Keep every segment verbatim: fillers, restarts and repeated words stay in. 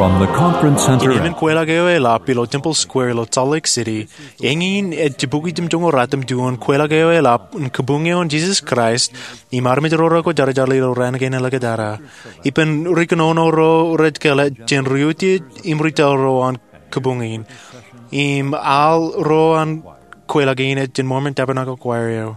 From the conference center. Im emān kweilọk eo eḷap ilo Temple Square ilo Salt Lake City, eñin ej jibukwi jemjoñoul ratimjuon kweilọk eo eḷap in Kabuñ eo an Jesus Christ im armej ro rekwojarjar ilo raan kein āliktata. Ippān ri kōnono ro rej kōḷḷā jān ri utiej im ri taḷ ro an kabuñ in, im al ro an kweilọk in ej jān Mormon Tabernacle Choir eo.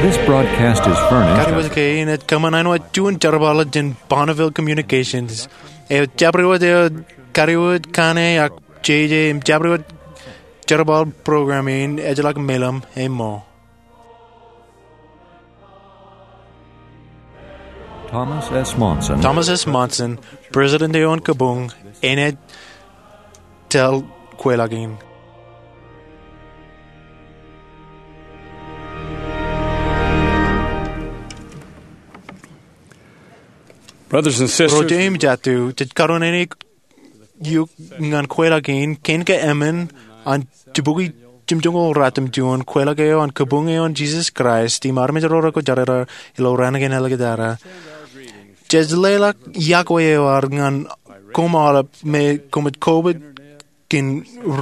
This broadcast is furnished. Kadiwōj kein ej kōṃṃan āinwōt juon jerbal jān Bonneville Communications. Eo jabdewōt eo kadiwōj kaṇe ak jeje im jabdewōt jerbal program in ejjeḷọk meḷeḷe im ṃool. Thomas S. Monson. Thomas S. Monson, President eo an kabuñ, enaaj tōl kweilọk in. Brothers and sisters, ro jeje im jatū, jej karuwainene eok ñan kweilọk in, kein ke emān an jibukwi jemjoñoul ratimjuon kweilọk eo an Kabuñ eo an Jesus Christ im armej ro rekwōjarjar ilo raan kein āliktata. Jej leḷọk iọkwe eo ad ñan koṃ aolep me koṃij kobōj kōn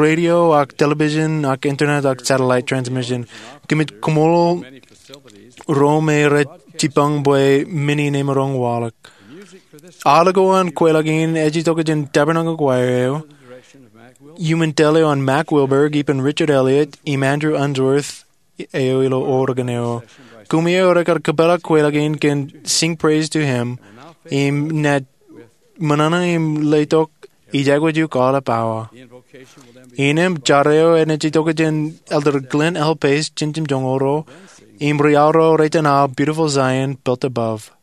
radio ak television ak internet ak satellite transmission. Kōmij koṃṃool ro me rej jibboñ bwe men in emaroñ waḷọk. Aolep ko an kweilọk in ej itok jān Tabernacle Choir eo, iuṃwin tōl eo an Mac Wilberg, ippān Richard Elliott im Andrew Unsworth, eo ilo Oregon eo. Koṃi eo rekar kōpeḷḷọk kweilọk in kōn Sing Praise to Him, im naaj ṃōṇōṇō im letok ij aikuj eok aolep awa. Innām jar eo enaaj itok jān Elder Glenn L. Pace jān jemjoñoul ro, im ri-aorro rej iten aō Beautiful Zion Built Above.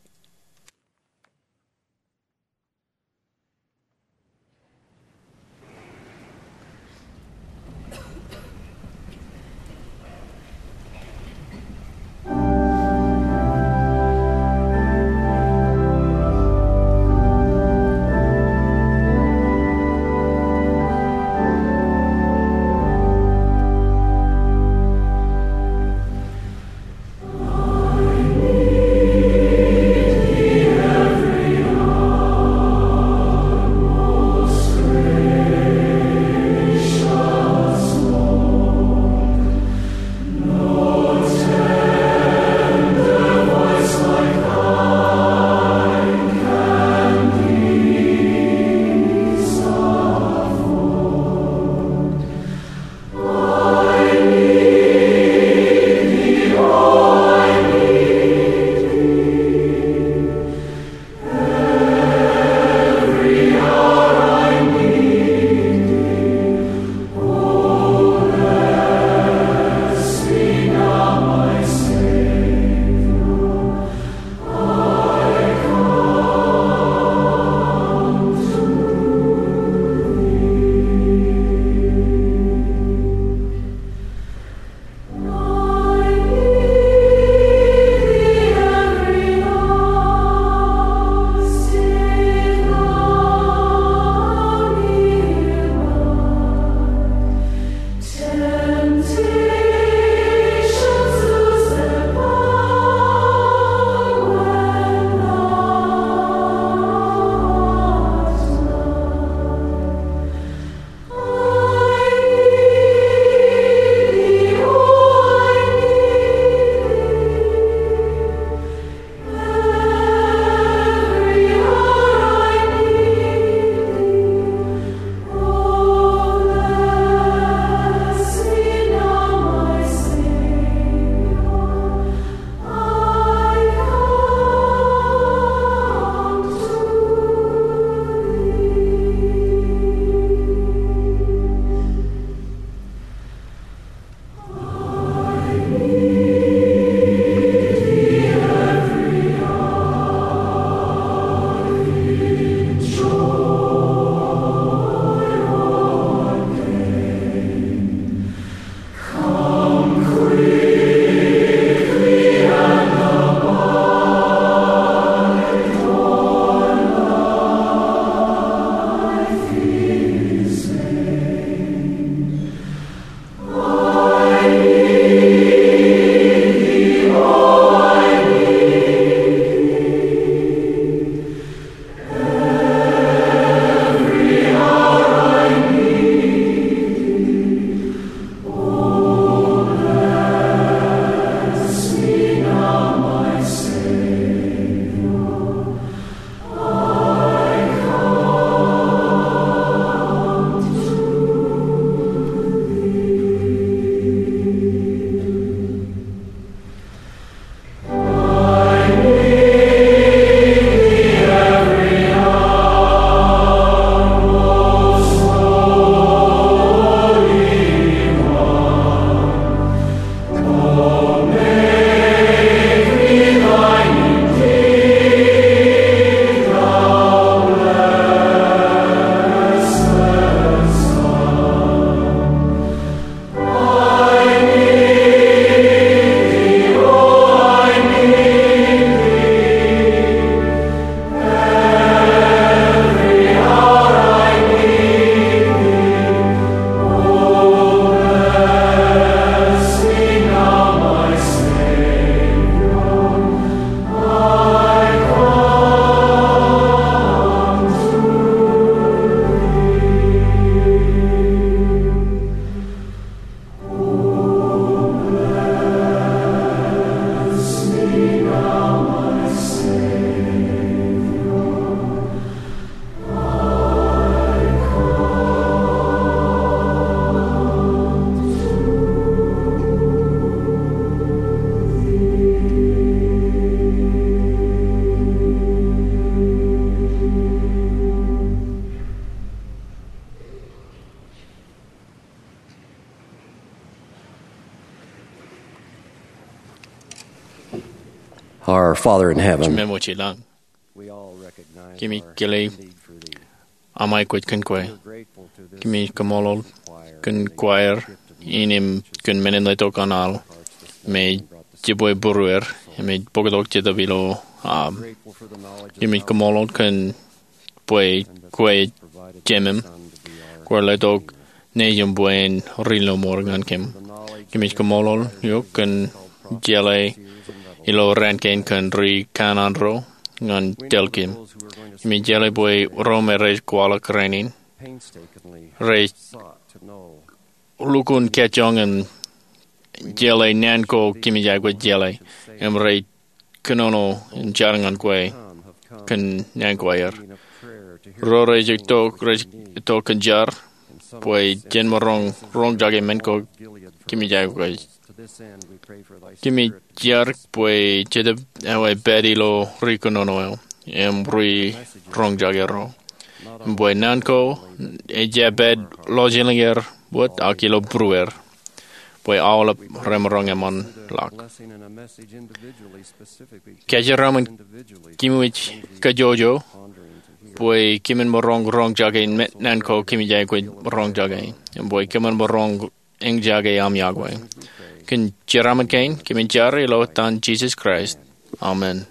Our Father in heaven, Jemem wōj ilañ, kōmij kile aṃ aikuj kōn kwe. Kōmij kaṃṃoolol kōn choir in im kōn men in letok an al me jibwe būrueir im ej bōktok Jetōb ilo aṃ. Kōmij kaṃṃoolol kōn bwe kwe jemem, kwōj letok Nejūṃ bwe en ri lọmọọr ñan kōm. Kōmij kaṃṃoolol eok kōn jeḷā ilo raan kein kōn ri kanaan ro ñan tōl kōm. Kōmij jeḷā bwe ro me rej kwaḷọk rainin rej lukkuun kajjoñ im jeḷā naan ko kōmij aikuj jeḷā im rej kōnono im jar ñan kwe kōn naan ko aer. Ro rej itok, rej itok kōn jar bwe jen maroñ roñjake men ko kōmij aikuj. Kōmij jar bwe Jetōb eo ej pād ilo ri kōnono eo im ri roñjake ro. Im bwe naan ko ej jab pād lọjilñier wōt ak ilo būrueir bwe aolep remaroñ eṃṃan ḷọk. Kōjeraaṃṃan kōmij kajjojo bwe kōmin maroñ roñjake naan ko kōmij aikuj roñjake im bwe kōmin maroñ eñjake aṃ yokwe. Kōn jeraaṃṃan kein kōmij jar ilo etan Jisōs Kraist, amen.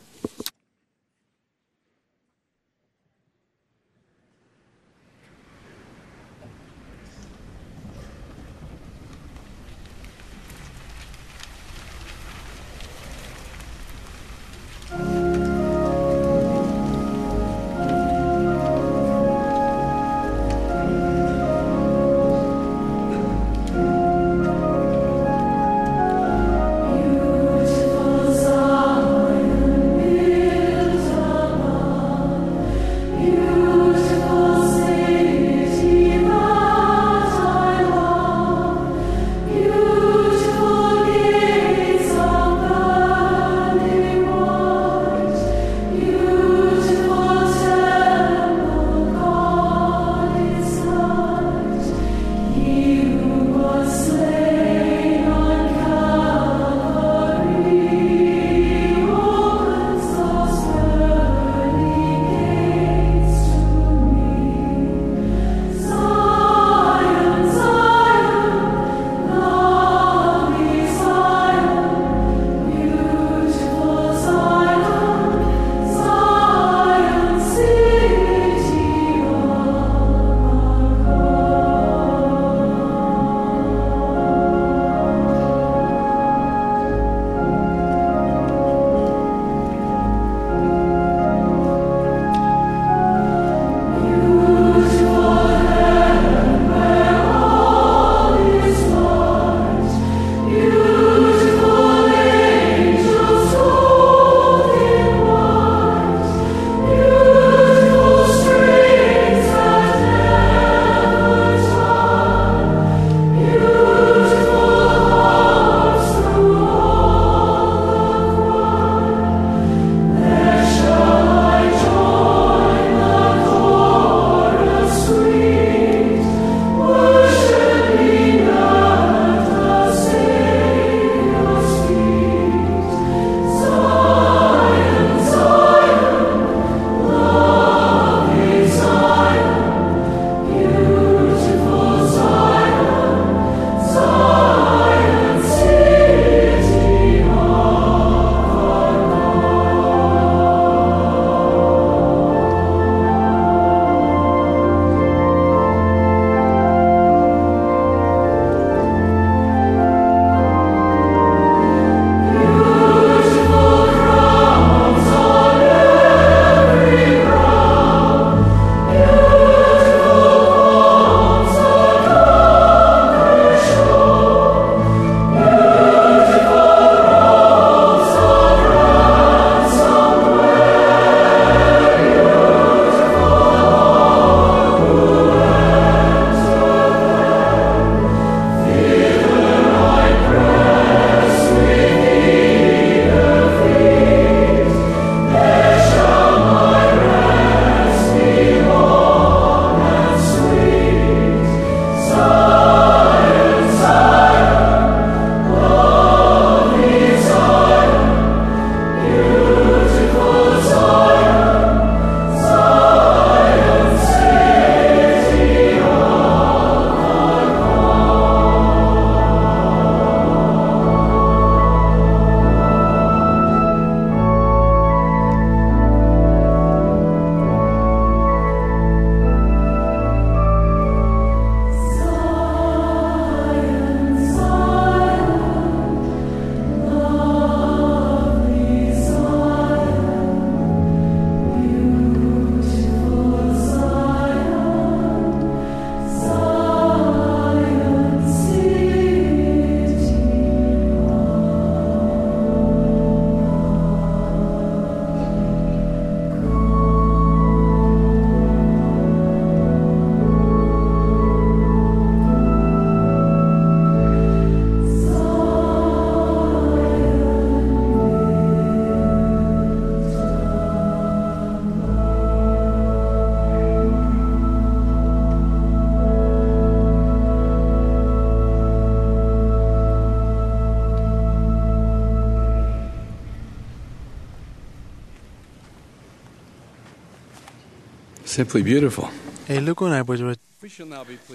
Simply beautiful. Elukkuun aebōjbōj.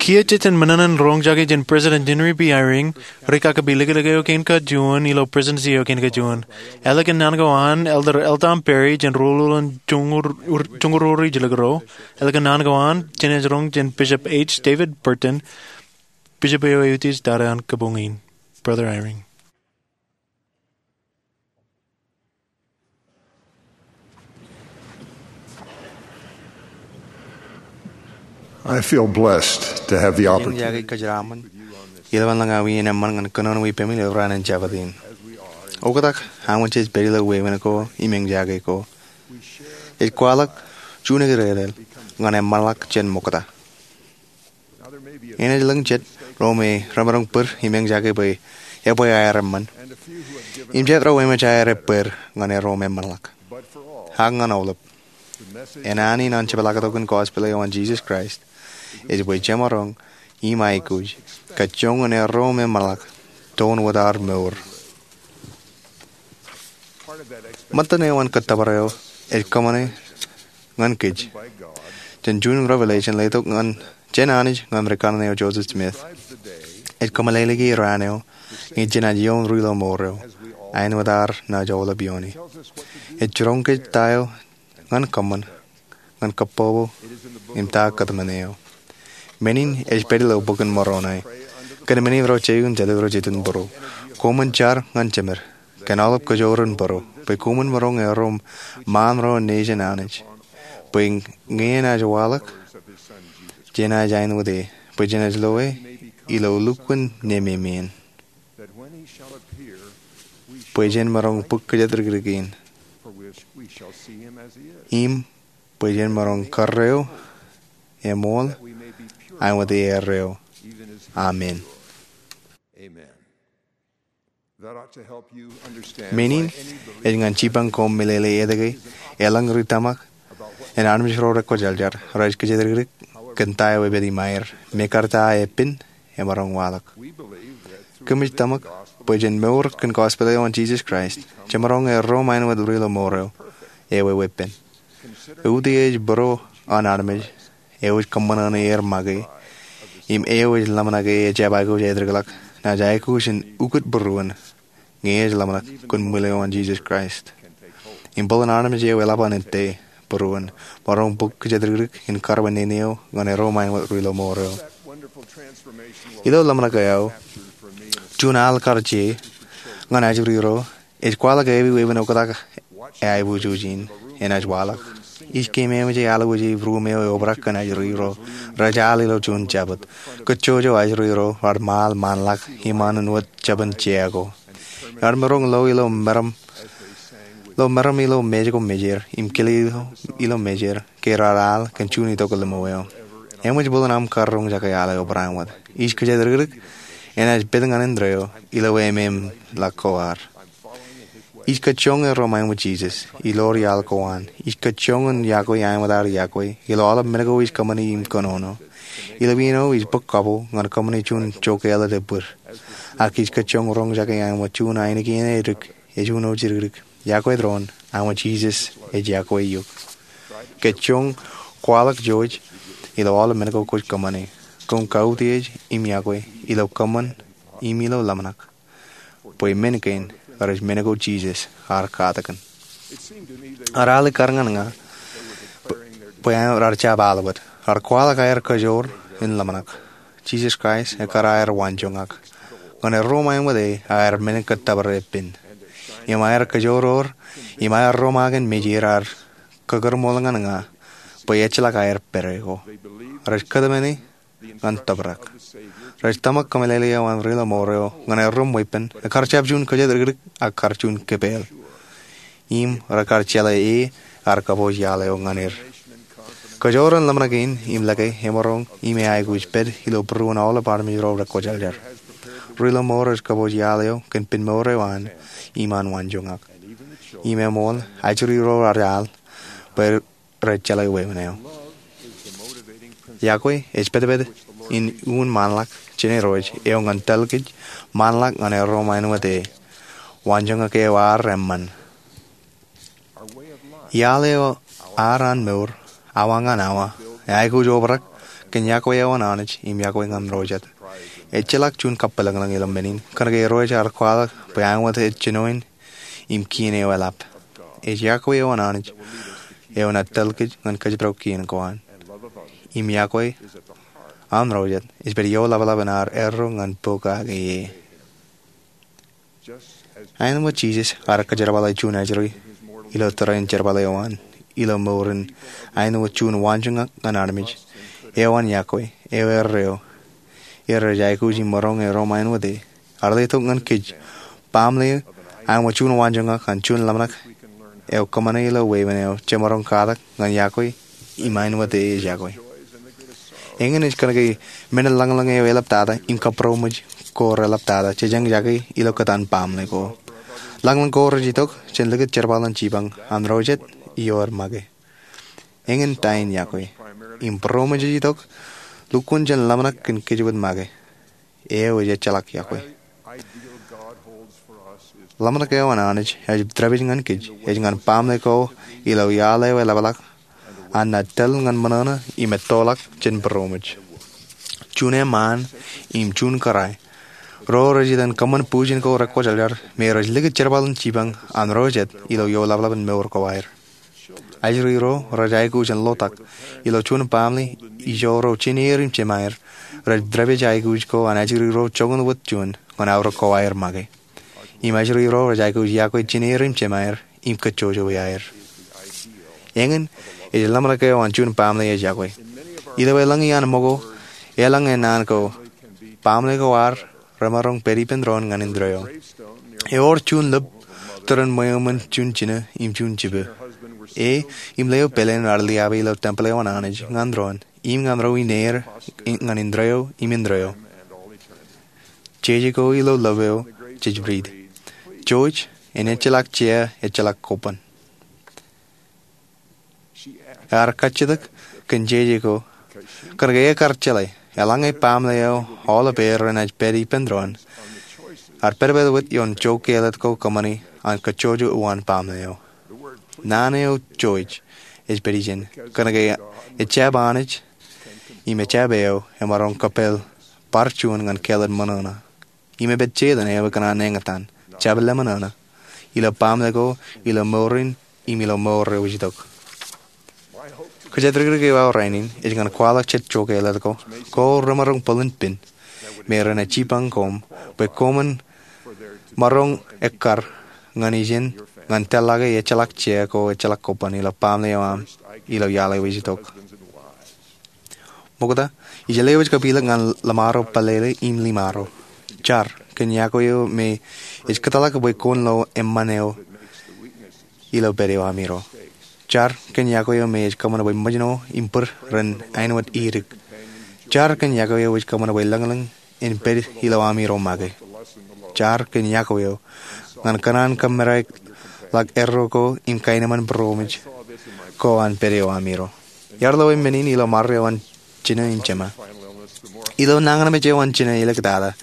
Kiiō jej jen men in roñjake jān President Henry B. Eyring, ri-kakapeliklik eo kein kajuon ilo Presidency eo kein kajuon. Ālikin naan ko an Elder L. Tom Perry jān Ruo Ulọk in Joñoul Ruo Ri Jilkinro. Ālikin naan ko an, jenaaj roñ jān Bishop H. David Burton, Bishop eo eutiej tata an kabuñ in. Brother Eyring. I feel blessed to have the opportunity. Ijeḷā kōjeraaṃṃan, ilowaan ḷọk aō wien eṃṃan ñan kōnono ippaṃ ilo raan in Jabōt in. Oktak, aṃ wōj jej pād ilo wāween ko im eñjake ko. Ej kwaḷọk juon ekdekdel ñan eṃṃanḷọk jān ṃokta. Enaaj lōñ jet ro me remaroñ bōd im eñjake bwe ebwe aer eṃṃan, im jet ro eṃōj aer bōd ñan erom eṃṃanḷọk. Ak ñan aolep, enani an jepḷaaktok in gospel eo an Jesus Christ ej bwe jemaroñ im aikuj kajjoñan erom eṃṃanḷọk toun wōt ad mour. Ṃōttan eo an kōttōpar eo ej kōṃṃane ñan kōj jān juon revelation letok jān Anij ñan rikaṇe eo Joseph Smith. Ej kōmeḷeḷeiki raan eo ñe jenaaj ioon ri-lọmọọr eo, āinwōt ad naaj aolep iooni. Ej jiroñ kōj ta eo ñan kōṃṃan ñan kōpopo im ta kōtmāne eo. Men in ej pād ilo Bok in Moroni. Kōn men in ro jeiū im jatū ro jitōnbōro, koṃwin jar ñan jemed kōn aolep kōjro in bōro, bwe koṃwin maroñ erom ṃaan ro nejin Anij, bwe ñe enaaj waḷọk, jenaaj āinwōt e, bwe jenaaj loe ilo lukkuun nememān, bwe jen maroñ bōk kōjatdikdik in, im bwe jen maroñ karreo eṃool āinwōt erreo. Amen. Men in ej ñan jipañ koṃ meḷeḷe etke eḷaññe ri tōmak in armej ro rekwōjarjar rej kōjatdikdik kōn ta eo epād im aer, mekarta epen emaroñ waḷọk. Kōmij tōmak bwe jen mour kōn gospel eo an Jesus Christ, jemaroñ erom āinwōt ri-lọmọọr eo, ewi weeppān. Utiej bōro an armej eo ej kōṃṃan ñan er make im eo ej ḷōmṇak e ejjab aikuj aetikḷọk, naaj aikuj in ukōt būruon ñe ej ḷōmṇak kōn ṃwiin eo an Jesus Christ. Im bōlen armej eo eḷap an ettā būruon, maroñ bōk kōjatdikdik in karwin nene eo ñan erom āinwōt ri-lọmọọr eo. Ilo ḷōmṇak eo, juon al kar je ñan ajri ro ej kwaḷọk ewi weeppān oktak aebujoj in enaaj waḷọk. Ij keememej e alwōje ruum eo eobrak kōn ajri ro rej al ilo juon jabōt. Kōjjojo ajri ro rar ṃaal ṃaanḷọk iṃaan wōt jabōn jea ko. Iar maroñ lo ilo meram, lo meram ilo mej ko mejeer im kile ilo mejeer ke rar al kōn juon itok ḷimo eo. Eṃōj bōlen aṃ kar roñjake al eo barāinwōt. Ij kōjatdikdik enaaj pād ñan indeeo ilo ememḷọk ko ad. Ij kajjioñ erom āinwōt Jesus ilo iaḷ ko an. Ij kajjioñ in yokwe āinwōt ear yokwe ilo aolep men ko ij kōṃṃani im kōnono. Ilo iien eo ij bōk kapo ñan kōṃṃani juon jokāāl eḷap bōd. Ak ij kajjioñ roñjake āinwōt juon ainikien edik ej uno jidikdik. Yokwe doon āinwōt Jesus ej yokwe eok. Kajjioñ kwaḷọk jouj ilo aolep men ko kwōj kōṃṃane. Koṃ kautiej im yokwe ilo kōṃṃan im ilo ḷōmṇak, bwe men kein rej men ko Jesus ear katakin. Ear al ikkar ñan ña bwe rar jab al wōt. Rar kwaḷọk aer kajoor in ḷōmṇak. Jesus Christ ekkar aer waanjoñak. Ñan erom āinwōt e aer men kōttōpar eppān. Im aer kajoor ro, im aer romaak in mejeer ear kakūrṃool ñan ña bwe ejjeḷọk aer pād e ko. Rej kōtmāne ñan tōprak. Rej tōmak kōmeḷeḷe eo an ri-lọmọọr eo ñan erom weeppān, ekkar jab juon kōjatdikdik ak kar juon kōpeḷ. Im rekar jeḷā e ear kōpooj iaḷ eo ñan er. Kajoor in ḷōmṇak in im lōke emaroñ im eaikuj pād ilo būruon aolep armej ro rekwōjarjar. Ri-lọmọọr ej kōpooj iaḷ eo kōn pen mour eo an im an waanjoñak. Im eṃool ajri ro rej al bwe rej jeḷā wāween eo. Yokwe ej petpet in uññūn ṃaanḷọk jān Irooj eo ñan tōl kōj ṃaanḷọk ñan erom āinwōt e. Waanjoñak eo ear eṃṃan. Iaḷ eo ad an mour awa ñan awa, aikuj obrak kōn iọkwe eo an Anij im iọkwe ñan ro jet. Ejjeḷọk juon kappilōñlōñ ilo men in, kōnke irooj ear kwaḷọk bwe āinwōt ej jinoin im kien eo eḷap. Ej iọkwe eo an Anij eo enaaj tōl kōj ñan kōjparok kien ko an. Im iọkwe an ro jet ej pād ioḷapḷap in ad erro ñan bok kake ie. Āinwōt Jisōs ear kōjerbale juon ajri ilo tōre in jerbal eo an, ilo mour in āinwōt juon waanjoñak ñan armej eo an iọkwe eo erreo, er rej aikuj im maroñ erom āinwōt e. Ear letok ñan kōj, baaṃle, āinwōt juon waanjoñak an juon ḷōmṇak eo kōṃṃane ilo wāween eo jemaroñ katak ñan iọkwe im āinwōt e ej iọkwe. Eñin ej kōnke men in lañlōñ eo eḷaptata im kabūroṃōj ko reḷaptata jej eñjake ilo kōtaan baaṃle ko. Lañlōñ ko rej itok jān likūt jerbal in jipañ an ro jet ioer make. Eñin ta in iọkwe im būroṃōj ej itok lukkuun jān ḷōmṇak kōn kōjwōj make. Eo ej ejjeḷọk iọkwe. Ḷōmṇak eo an Anij ej pād ñan kōj ej ñan baaṃle ko ilo iaḷ eo eḷapḷọk an naaj tōl ñan ṃōṇōṇō im ettoḷọk jān būroṃōj. Juon eṃṃaan im juon kōrā ro rej iten kōṃṃan bujen ko rekwōjarjar me rej likūt jerbal in jipañ an ro jet ilo ioḷapḷap in mour ko aer. Ajri ro rej aikuj in lotak ilo juon baaṃle ijo ro jin er im jema er rej pād aikuj ko an ajri ro joñan wōt juon ñan aorōk ko aer make. Im ajri ro rej aikuj iọkwe jin er im jema er im kōjjojo iaer. Eñin ej ḷōmṇak eo an juon baaṃle ej iọkwe. Ilo elōñ iaan ṃōko, elōñ e naan ko, baaṃle ko ad remaroñ pād ippān doon ñan indeeo. Ewōr juon lōb tōre in ṃweo ṃōn juon jino im juon jibwe. E im leo pāleen ear liabe ilo tempel eo an Anij ñan doon im ñan ro ineer ñan indeeo im indeeo. Jeje ko ilo lōb eo jej riit, "Jouj, en ejjeḷọk jea, ejjeḷọk kobban." Ear kajjitōk kōn jeje ko kōnke ekar jeḷā eḷaññe baaṃle eo aolep er renaaj pād ippān doon, ear pād pād wōt ioon joke āliktata ko kōṃṃani an kōjjojo uwaan baaṃle eo. Naan eo jouj ej pād ijin kōnke ejjab Anij im ejjab eo emaroñ kōppāl bar juon ñan kāālōt ṃōṇōṇō. Im epād Setan eo ekōṇaan eñtaan, jab lemṃōṇōṇō, ilo baaṃle ko, ilo mour in, im ilo mour eo ej itok. Kōjatdikdik eo aō rainin ej ñan kwaḷọk jet joke āliktata ko, ko remaroñ bōlen pen, me renaaj jipañ koṃ, bwe koṃwin maroñ ekkar ñan ijin ñan tōllọke ejjeḷọk jea ko ejjeḷọk kobban ilo baaṃle eo aṃ ilo iaḷ eo ej itok. Ṃokta, ij lewōj kapilōk ñan ḷōṃaro, pālele im ḷōṃaro. Jar kōn iọkwe eo me ej kōtḷọk bwe kwōn lo eṃṃan eo ilo pād eo aṃiro. Jar kōn iọkwe eo me ej kōṃṃan bwe ṃōjṇo im bōd ren āinwōt idik. Jar kōn iọkwe eo ej kōṃṃan bwe lōñlōñ en pād ilo aṃiro make. Jar kōn iọkwe eo ñan kōṇaan kōmmedaikḷọk erro ko im kaenōṃṃan būroṃōj ko an pād eo aṃiro. Iar lo men in ilo ṃare eo an jino im jema. Ilo nañinmej eo an jino āliktata,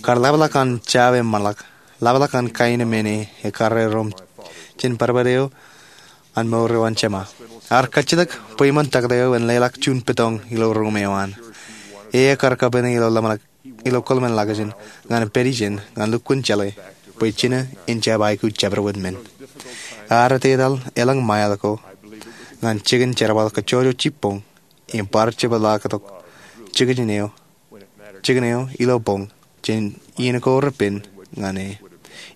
kar ḷapḷọk an jab eṃṃanḷọk, ḷapḷọk an kaenōṃṃan e ekkar erom jān badbad eo an mour eo an jema. Ear kajjitōk bwe iṃōn taktō eo en leḷọk juon petoñ ilo ruum eo an. E ekkar kapene ilo ḷōmṇak ilo kōḷmānḷọkjeṇ ñan pād ijin ñan lukkuun jeḷā bwe jino en jab aikuj jabdewōt men. Ear etetal elōñ mile ko ñan jikin jerbal kōjjojo jibboñ im bar jepḷaaktok jikin eo, jikin eo ilo boñ jān iien ko repen ñan e.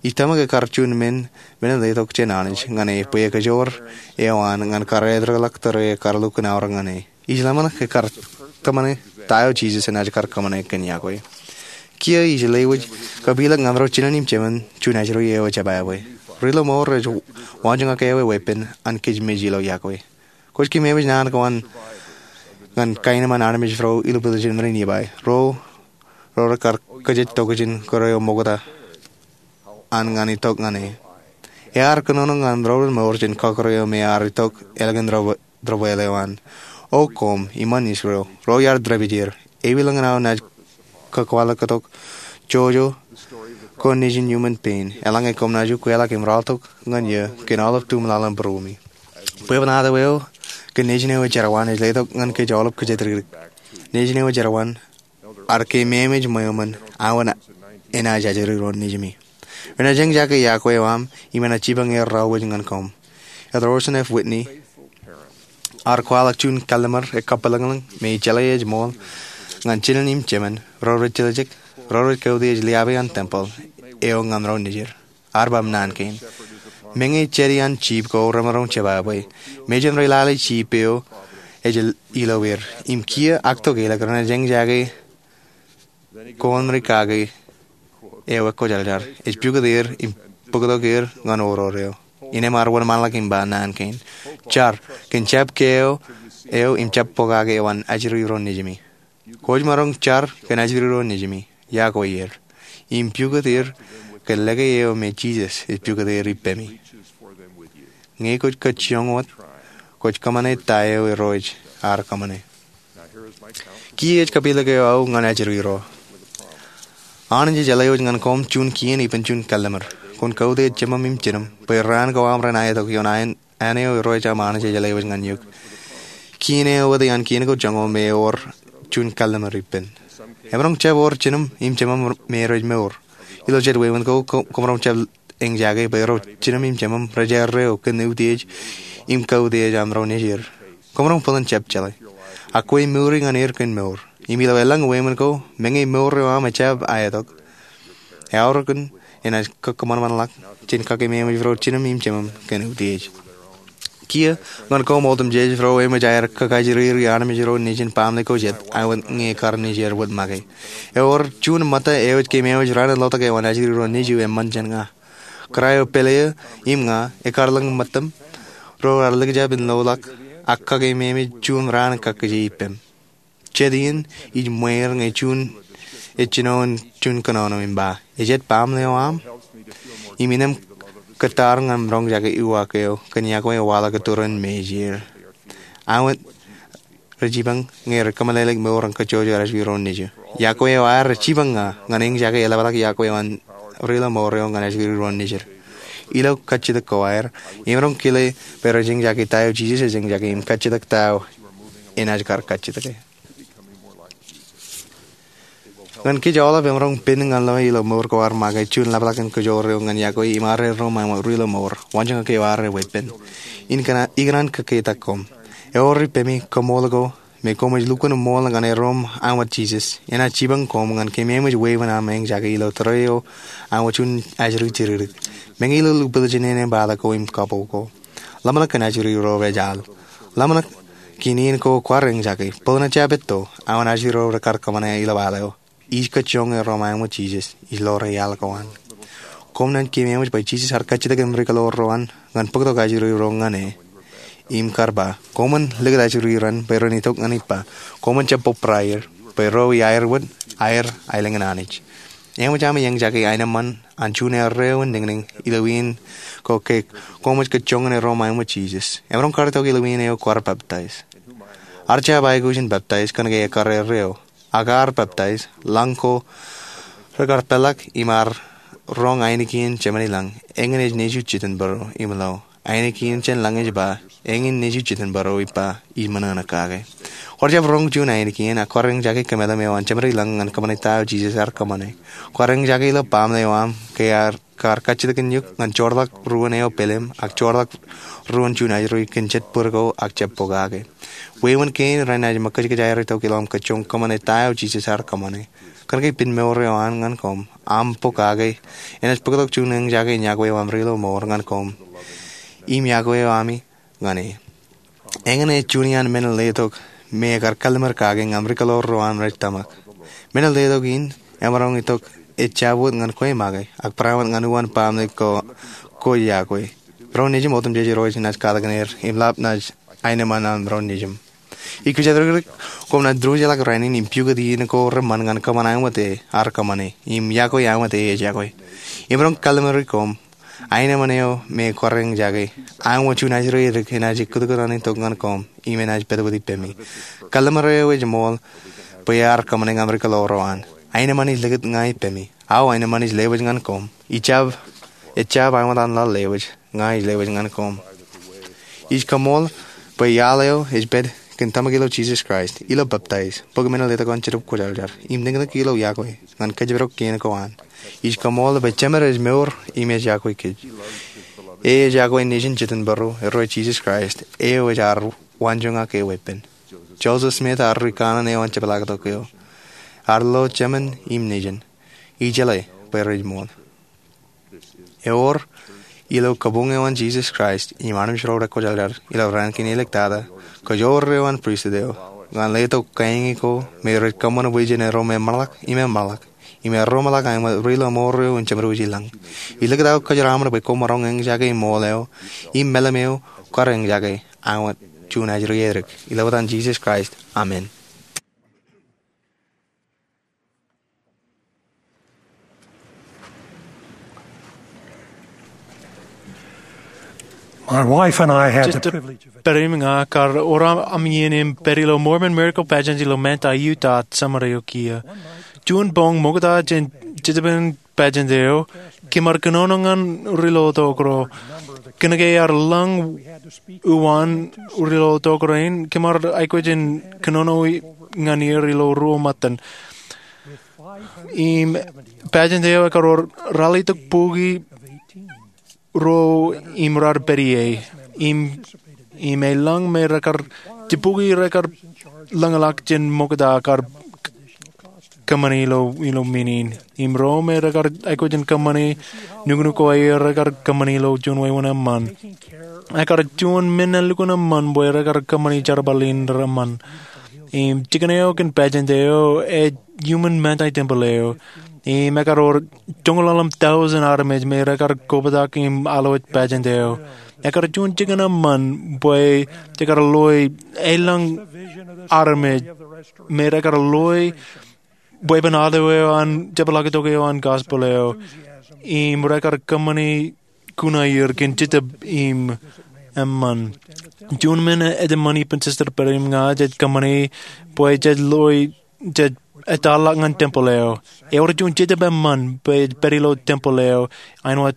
Ij tōmak ekkar juon men men in letok jān Anij ñan e bwe ekajoor eo an ñan kar etrōḷọk tōre ekkar lukkuun aorōk ñan e. Ij ḷōmṇak ekkar kōṃṃane ta eo Jisōs enaaj kar kōṃṃane kōn iọkwe. Kiiō ij lewōj kapilōk ñan ro jinen im jemān juon ajri eo ej jebwābwe. Ri-lọmọọr rej waanjoñak ewi weeppān an kōj mej ilo iọkwe. Kwōj keememej naan ko an ñan kaenōṃṃan armej ro ilubwiljin men in Nifai, ro rej kar kōjej tokjān kōrā eo ṃokta an ñan itok ñan e. Ear kōnono ñan ro ri-lọmọọr jān kọkkure eo me ear itok ālikin debwāāl eo an. O koṃ iṃaan Israel, ro iar dāpij er, ewi lōñin aō naaj kōkwaḷọktok jojo ko nejin iuṃwin pein, eḷaññe koṃ naaj ukweḷọk im ralitōk ñan eō kōn aolep tumlaḷ in būruemi. Bwebwenato eo kōn Nejin eo ejerwaan ej letok ñan kōj aolep kōjatdikdik. Nejin eo ejerwaan ear keememej ṃweo ṃōn aō enaaj ajri ro nejimi. Renaaj eñjake iọkwe eo aṃ im enaaj jipañ er raorwōj ñan koṃ. Elder Orson F. Whitney ear kwaḷọk juon kalliṃur ekkappeḷeḷeñ me ejjeḷā ej ṃool ñan jinen im jemān ro rej tiljek, ro rej kautiej liabe an tempel eo ñan ro nejid. Ear ba naan kein: Meñe jedi an jiip ko remaroñ jebwābwe, mejān rej lale jiip eo ej ilo er, im kiiō ak tokālik renaaj eñjake koṃ ri kake eo ekkojarjar, ej pukot er im bōktok er ñan oror eo. Innām ear wōnṃaanḷọk im ba naan kein: Jar kōn jab keo eo im jab pokake eo an ajri ro nejimi. Kwōj maroñ jar kōn ajri ro nejimi, iọkwe er, im pukot er kōn lōke eo me Jisōs ej pukot er ippemi. Ñe kwōj kajjioñ wōt, kwōj kōṃṃane ta eo Irooj ear kōṃṃane. Kiiō ej kapilōk eo aō ñan ajri ro. Anij ej jeḷā wōj ñan koṃ juon kien ippān juon kalliṃur. Kwōn kautiej jemem im jinūṃ bwe raan ko aṃ ren aetok ioon āne eo Irooj aṃ Anij ej jeḷā wōj ñan eok. Kien eo ewōt iaan kien ko joñoul me ewōr juon kalliṃur ippān. Emaroñ jab ewōr jinūṃ im jemem me rej mour. Ilo jet wāween ko, koṃ, koṃ maroñ jab eñjake bwe ro jinūṃ im jemem rej erreo kōn utiej im kautiej an ro nejid. Koṃ maroñ bōlen jab jeḷā. Ak kwe mouri ñan er kōn mour. Im ilo elōñ wāween ko, meñe mour eo aṃ ejjab aetok, eaorōk in enaaj kōkōṃanṃanḷọk jān kakeememej ro jinūṃ im jemem kōn utiej. Kiiō ñan koṃ otemjej ro eṃōj aer kakajriiri armej ro nejin baaṃle ko jet, āinwōt ñe ekkar nejier wōt make. Ewōr juon ṃōtta eo ej keememej raan in lotok eo an ajri ro nejū eṃṃan jān ña. Kōrā eo pāle eō im ña, ekkar lōñ ṃōttam, ro raar likjab in loḷọk ak kakeememej juon raan kakkije ippem. Jet iien ij ṃweer ñe juon ej jino in juon kōnono im ba, Ej jet baaṃle eo aṃ? Im innām kōttar ñan roñjake uwaak eo kōn iọkwe eo waḷọk iturin me ej er. Āinwōt rej jipañ ñe rej kōmeḷeḷeik mour an kajjojo ajri ro nejū. Iọkwe eo aer ej jipañ ña ñan eñjake eḷapḷọk iọkwe eo an rilo mour eo ñan ajri ro nejid. Ilo kajjitōk ko aer, emaroñ kile bwe rej eñjake ta eo Jisōs ej eñjake im kajjitōk ta eo enaaj kar kajjitōke. Ñan kōj aolep, emaroñ pen ñan lọe ilo mour ko ad make juon ḷapḷọk in kajoor eo ñan iọkwe im arreo ro ṃweo ṃōk rilo mour, wañjōñak eo ad weeppān. Ikōṇaan kōkketak koṃ. Ewōr ippemi kaṃool ko me koṃij lukkuun ṃool ñan erom āinwōt Jisōs, enaaj jipañ koṃ ñan keememej wāween aṃ eñjake ilo tōre eo āinwōt juon ajri jidikdik. Meñe ilo lukkuun jinen eṃ bata ko im kapo ko, ḷōmṇak kōn ajri ro rej al. Ḷōmṇak kōn iien ko kwaar eñjake, bōlen jab etto, aō an ajri ro rekar kōṃṃane ilo al eo. Ij kajjioñ erom āinwōt Jisōs ilo al ko an. Koṃ naaj keememej bwe Jisōs ear kajjitōk im rikōḷoor ro an ñan bōktok ajri ro ñan e. Im kar ba, koṃwin likūt ajri ro an bwe ren itok ñan ippa. Koṃwin jab bōbraer bwe ro iaer wōt aer aelōñ in Anij. Eṃōj ami eñjake aenōṃṃan an juon erreo in niñniñ ilo iien ko ke koṃij kajjioñ in erom āinwōt Jisōs. Emaroñ kar itok ilo iien eo kwaar peptaij. Ear jab aikuj in peptaij kōnke ekkar erreo. Ak ear peptaij, lañ ko rekar peḷḷọk im ear roñ ainikien jemān ilañ, eñin ej nejū jitin bōro im lo. Ainikien jān lañ ej ba, eñin nejū jitin bōro ippa, ij ṃōṇōṇō kake. Kwaar jab roñ juon ainikien, ak kwaar eñjake kōmetem eo an jemān ilañ ñan kōṃṃane ta eo Jisōs ear kōṃṃane. Kwaar eñjake ilo baaṃle eo aṃ ke ear kar kajjitōkin eok ñan joorḷọk ruōn eo pelem ak joorḷọk ruōn juon ajri kōn jet bōd ko ak jab pokake. Wāween kein renaaj ṃōkkajkōj aer itok ilo aṃ kajjioñ kōṃṃane ta eo Jisōs ear kōṃṃane. Kōnke pen mour eo an ñan koṃ, aṃ pokake, enaaj bōktok juon eñjake in iọkwe eo aṃ rilo mour ñan koṃ im iọkwe eo ami ñan e. Eñin ej juon iaan men in letok me ekar kalliṃur kake ñan rikōḷoor ro an rej tōmak. Men in letok in emaroñ itok ejjab wōt ñan kwe make, ak barāinwōt ñan uwaan baaṃle ko kwōj iọkwe. Ro nejūṃ otemjej Irooj enaaj katakin er im lap naaj aenōṃṃan an ro nejūṃ. Ij kōjatdikdik koṃ naaj diwōjḷọk rainin im pukot iien ko reṃṃan ñan kōṃṃan āinwōt e ear kōṃṃane im iọkwe āinwōt e ej iọkwe. Emaroñ kalliṃuri koṃ aenōṃṃan eo me kwaar eñjake, āinwōt juon ajri edik enaaj kōtkōt an itok ñan koṃ im enaaj pād wōt ippemi. Kalliṃur eo ej ṃool bwe ear kōṃṃane ñan rikōḷoor ro an. Aenōṃṃan ij likūt ña ippemi. Aō aenōṃṃan ij lewōj ñan koṃ. Ejjab, ejjab āinwōt an laḷ lewōj, ña ij lewōj ñan koṃ. Ij kaṃool bwe iaḷ eo ej pād kōn tōmak ilo Jisōs Kraist, ilo peptaij, bōk men in letok an Jetōb Kwōjarjar, im nōknōk ilo iọkwe ñan kōjparok kein ko an. Ij kaṃool bwe Jemed ej mour im ej iọkwe kōj. E ej iọkwe Nejin Jitōnbōro, erro Jisōs Kraist, eo ej ad waanjoñak e weeppān. Joseph Smith ear ri kanaan eo an jepḷaaktok eo. Ear lo Jemān im Nejin. Ij jeḷā bwe rej ṃool. Ewōr, ilo kabuñ eo an Jisōs Kraist im armej ro rekwōjarjar ilo raan kein eliktata, kōjro eo an pristut eo, ñan letok kaiñe ko me rej kōṃṃan bwijin erro me ṃōḷak im eṃṃanḷọk, im erro ṃōḷak aṃ ri lọmọọr eo en jeṃdoji lañ. Ij likūt aō kōjeraṃōd bwe koṃ maroñ eñjake ṃool eo im meḷeḷe eo kwaar eñjake aṃ juon ajri edik. Ilo etan Jisōs Kraist, amen. My wife and I had the Jete privilege of pād im ña kar wōr aṃ iien im pād ilo Mormon Miracle Pageant ilo Manti, Utah, summer eo kiiō. Juon boñ ṃokta jān Jetōb in pageant eo, kōm ar kōnono ñan ri lotok ro. Kōnke ear lañ uwaan ri lotok rein, kōm ar aikuj in kōnono ñan er ilo ruo ṃōttan. Im pageant eo ekar wōr ralitōk bukwi ruo im raar pād ie. Im, im eḷaññe rekar, jibukwi rekar lañḷọk jān ṃokta kar kōṃṃani ilo, ilo men in. Im ro me rekar aikuj in kōṃṃani nuknuk ko aer rekar kōṃṃani ilo juon wāween eṃṃan. Ekar juon men elukkuun eṃṃan bwe rekar kōṃṃani jerbal in reṃṃan. Im jikin eo kōn pageant eo ej iuṃwin Manti tempel eo. Im ekar wōr joñoul ḷalem tọujin armej me rekar kobatok im alwōj pageant eo. Ekar juon jikin eṃṃan bwe jekar loe elōñ armej me rekar loe weeppān auto eo an, jepḷaaktok eo an gospel eo, im rekar kōṃṃani kuṇaer kōn Jetōb im eṃṃan. Juon men eo eṃṃan ippān Sister Perry im ña jej kōṃṃani bwe jej loe, jej ettoḷọk ñan tempel eo. Ewōr juon Jetōb eṃṃan bwe ej pād ilo tempel eo āinwōt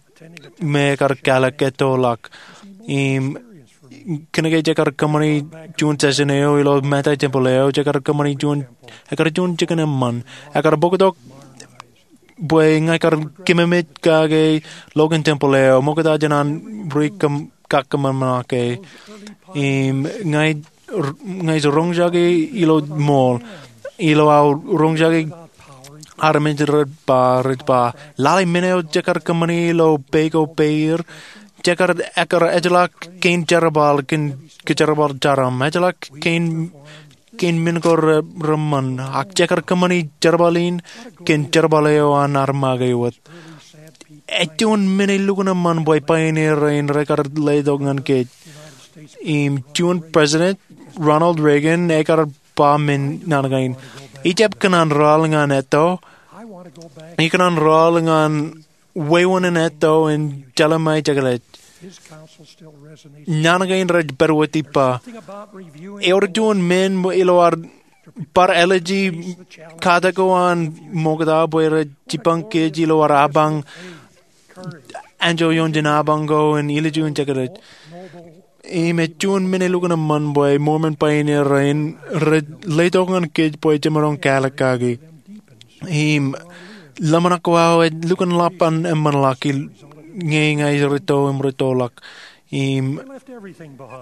me ekar kāālōt ettoḷọk. Im kōnke jekar kōṃṃani juon session eo ilo Manti tempel eo, jekar kōṃṃani juon, ekar juon jikin eṃṃan. Ekar bōktok bwe ña ikar kememej kake loken tempel eo, ṃokta jān an ri kōm, kakkōṃanṃan ke. Im ña ij, ña ij roñjake ilo ṃool, ilo aō roñjake armej rej ba, rej ba, lale men eo jekar kōṃṃani ilo peiṃ ko peier, jekar, ekar ejjeḷọk kein jerbal, kein, kōn jerbal jarom, ejjeḷọk kein, kein men ko re, reṃṃan, ak jekar kōṃṃani jerbal in kōn jerbal eo an armake wōt. Ej juon men elukkuun eṃṃan bwe pioneer rein rekar letok ñan kōj. Im juon President Ronald Reagan ekar ba men naan kein. Ijab kōṇaan raḷ ñan etto. Ikōṇaan raḷ ñan wāween in etto in Jelemaia jekḷaj. Naan kein rej pād wōt ippa. Ewōr juon men ilo ad bar āliji katak ko an ṃokta bwe rej jipañ kōj ilo ad apañ anjọ ioon jān apañ ko in ilju in jekḷaj. Im ej juon men elukkuun eṃṃan bwe Mormon pioneer rein rej letok ñan kōj bwe jemaroñ kāālōt kaki. Im ḷōmṇak ko aō ej lukkuun ḷap an eṃṃanḷọk, ñe ña ij rūtto im rūttoḷọk. Im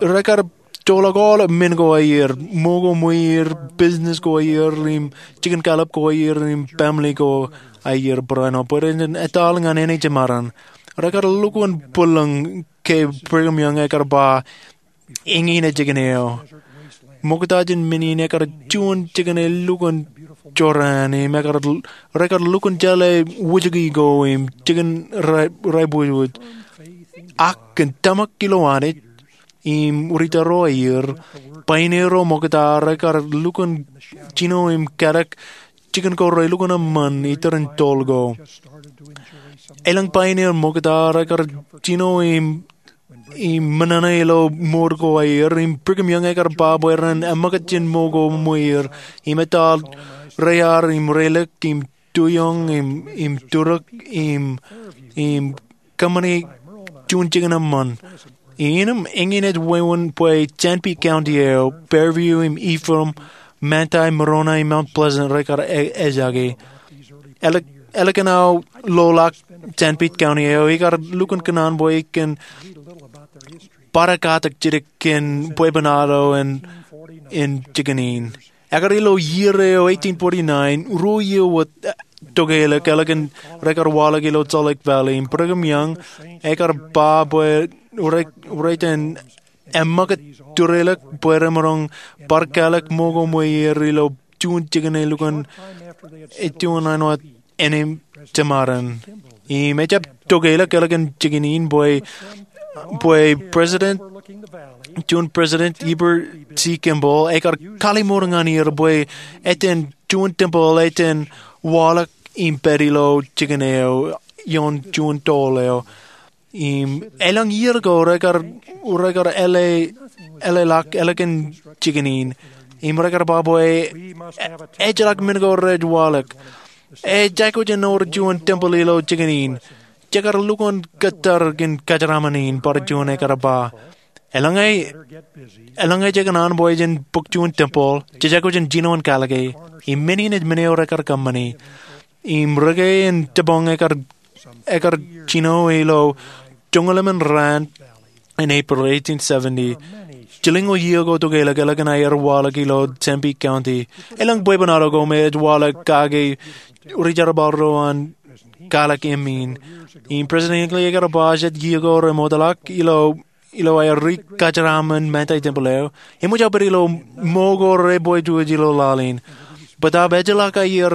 rekar joḷọk aolep men ko aer, ṃo ko ṃweer, business ko aer, im jikin kālọp ko aer, im family ko aer barāinwōt bwe ren etal ñan āne jemaroñ. Rekar lukkuun bōlen ke Brigham Young ekar ba, eñin ej jikin eo. Ṃokta jān men in ekar juon jikin elukkuun jorrāān im ekar, rekar lukkuun jeḷā wūjki ko im jikin rai, raibwijwij. Ak kōn tōmak ilo Anij im ri tōl ro aer, pioneer ro ṃokta rekar lukkuun jino im kadek jikin ko relukkuun eṃṃan itōrin tol ko. Elōñ pioneer ṃokta rekar jino im im ṃōṇōṇō ilo ṃōd ko aer, im Brigham Young ekar ba bwe ren eṃōkaj jān ṃo ko ṃweer, im etal reiar, im relik, im tuioñ, im, im turuk, im, im kōṃṃani juon jikin eṃṃan. Innām eñin ej wāween bwe Sanpete County eo, Fairview im Ephraim, Manti, Monona im Mount Pleasant rekar ejjake. Ālikin aō ḷoḷọk Sanpete County eo, ikar lukkuun kōṇaan bwe ikōṇaan bar katak jidik kōn bwebwenato in jikin in. Ekar ilo iiō eo ruo iiō wōt tokeḷọk ālikin rekar waḷọk ilo Salt Lake Valley. Im Brigham Young ekar ba bwe rej iten eṃṃakūt tūrelōk bwe remaroñ bar kālōk ṃōko ṃweer ilo juon jikin elukkuun juon āinwōt eṇ im jemaroñ. Im ejjab tokeḷọk ālikin jikin in bwe President, juon President Heber C. Kimball ekar kalimour ñan er bwe eten juon tempeḷ eten waḷọk im pād ilo jikin eo ioon juon toḷ eo. Im elōñ iiō ko rekar eḷḷọk ālikin jikin in im rekar ba bwe ejjeḷọk men ko rej waḷọk. Ej aikuj in wōr juon tempeḷ ilo jikin in. Jekar lukkuun kōttar kōn kōjeraaṃṃan in, bar juon ekar ba. Eḷaññe jekōṇaan bwe jen bōk juon tempeḷ, jej aikuj in jino in kalōke. Im men in ej men eo rekar kōṃṃani. Im rūkaki in jibboñ ekar jino ilo joñoul emān raan in April, jilñoul iiō ko tokeḷọk ālikin aer waḷọk ilo Sanpete County. Elōñ bwebwenato ko me ej waḷọk kake rijerbal ro an kalōk eṃṃan. Im President Hinckley ekar ba jet iiō ko remootḷọk ilo aer ri-kōjeraaṃṃan Manti tempeḷ eo, eṃōj aō pād ilo ṃōko rebwetuj ilo laḷ in. Bōtaab ejjeḷọk aer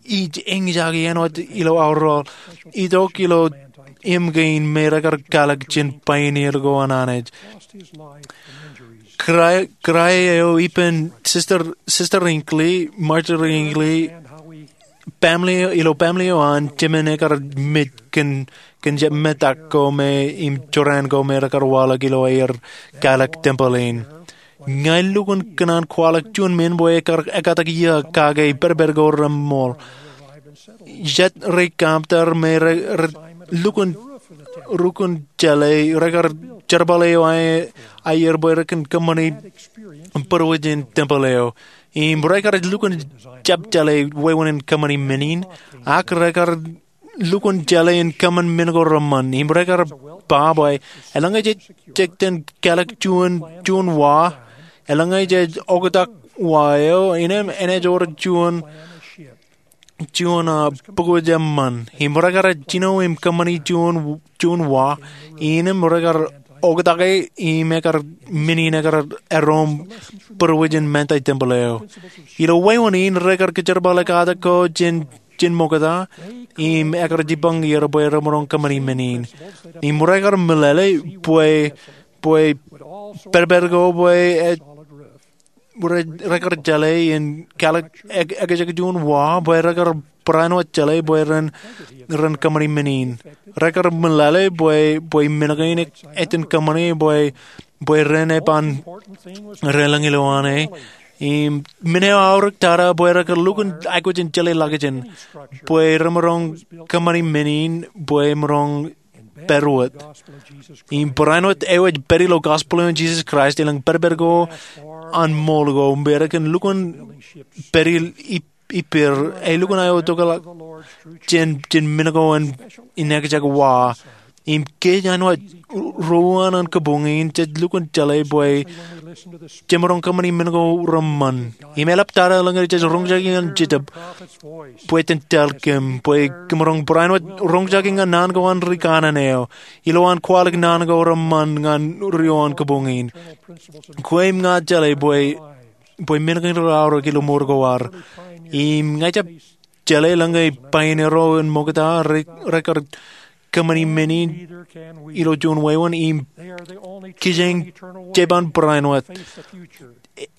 ij eñjake āinwōt ilo aorōk itok ilo im kein me rekar kalōk jān pioneer ko an Anij. Kūrae eo ippān Sister Hinckley, Marjorie Hinckley, ilo family eo an jemān ekar mej kōn jab metak ko me im jorrāān ko me rekar waḷọk ilo aer kalōk tempeḷ in. Ña ij lukkuun kōṇaan kwaḷọk juon men bwe ekkatak iiō kake pedped ko reṃool. Jet ri-kōmtar me re lukkuun rukun jeḷā rekar jerbal eo aer bwe rekar kōṃṃani būruwij in tempeḷ eo. Im rekar lukkuun jab jeḷā wāween in kōṃṃani men in, ak rekar lukkuun jeḷā in kōṃṃan men ko reṃṃan. Im rekar ba bwe eḷaññe jej iten kalōk juon wa, eḷaññe jej oktak wa eo, innām enaaj wōr juon juon bōkwōj eṃṃan. Im rekar jino im kōṃṃani juon wa, innām rekar oktake im ekar men in ekar erom būruwij in Manti tempeḷ eo. Ilo wāween in rekar kōjerbale katak ko jān ṃokta im ekar jibboñ er bwe remaroñ kōṃṃani men in. Im rekar meḷeḷe bwe bwe pedped ko bwe rekar jeḷā in kalōk ekjek juon wa bwe rekar barāinwōt jeḷā bwe ren kōṃṃani men in. Rekar meḷeḷe bwe men kein ej iten kōṃṃani bwe ren eban relōñ ilowaan e. Im men eo aorōk tata bwe rekar lukkuun aikuj in jeḷā ḷọkjeṇ bwe remaroñ kōṃṃani men in bwe maroñ pād wōt. Im barāinwōt eo ej pād ilo gospel eo an Jisōs Kraist elōñ pedped ko an ṃool ko bwe rekar lukkuun pād ippāer, elukkuun aō tokḷọk jān men ko an ekjek wa. Im kōj āinwōt ruo an kōpoñ in jej lukkuun jeḷā bwe jemaroñ kōṃṃani men ko reṃṃan. Im eḷaptata eḷaññe jej roñjake ñan Jetōb bwe jen tōl kōm bwe kōmaroñ barāinwōt roñjake ñan naan ko an ri kanaan eo ilowaan kwaḷọk naan ko reṃṃan ñan ruo an kōpoñ in. Kwe im ña jeḷā bwe men kein reaorōk ilo mour ko ad. Im ña ij jab jeḷā eḷaññe pioneer ro an ṃokta rekar kōṃṃani men in ilo juon wāween im kijeñ jeban barāinwōt.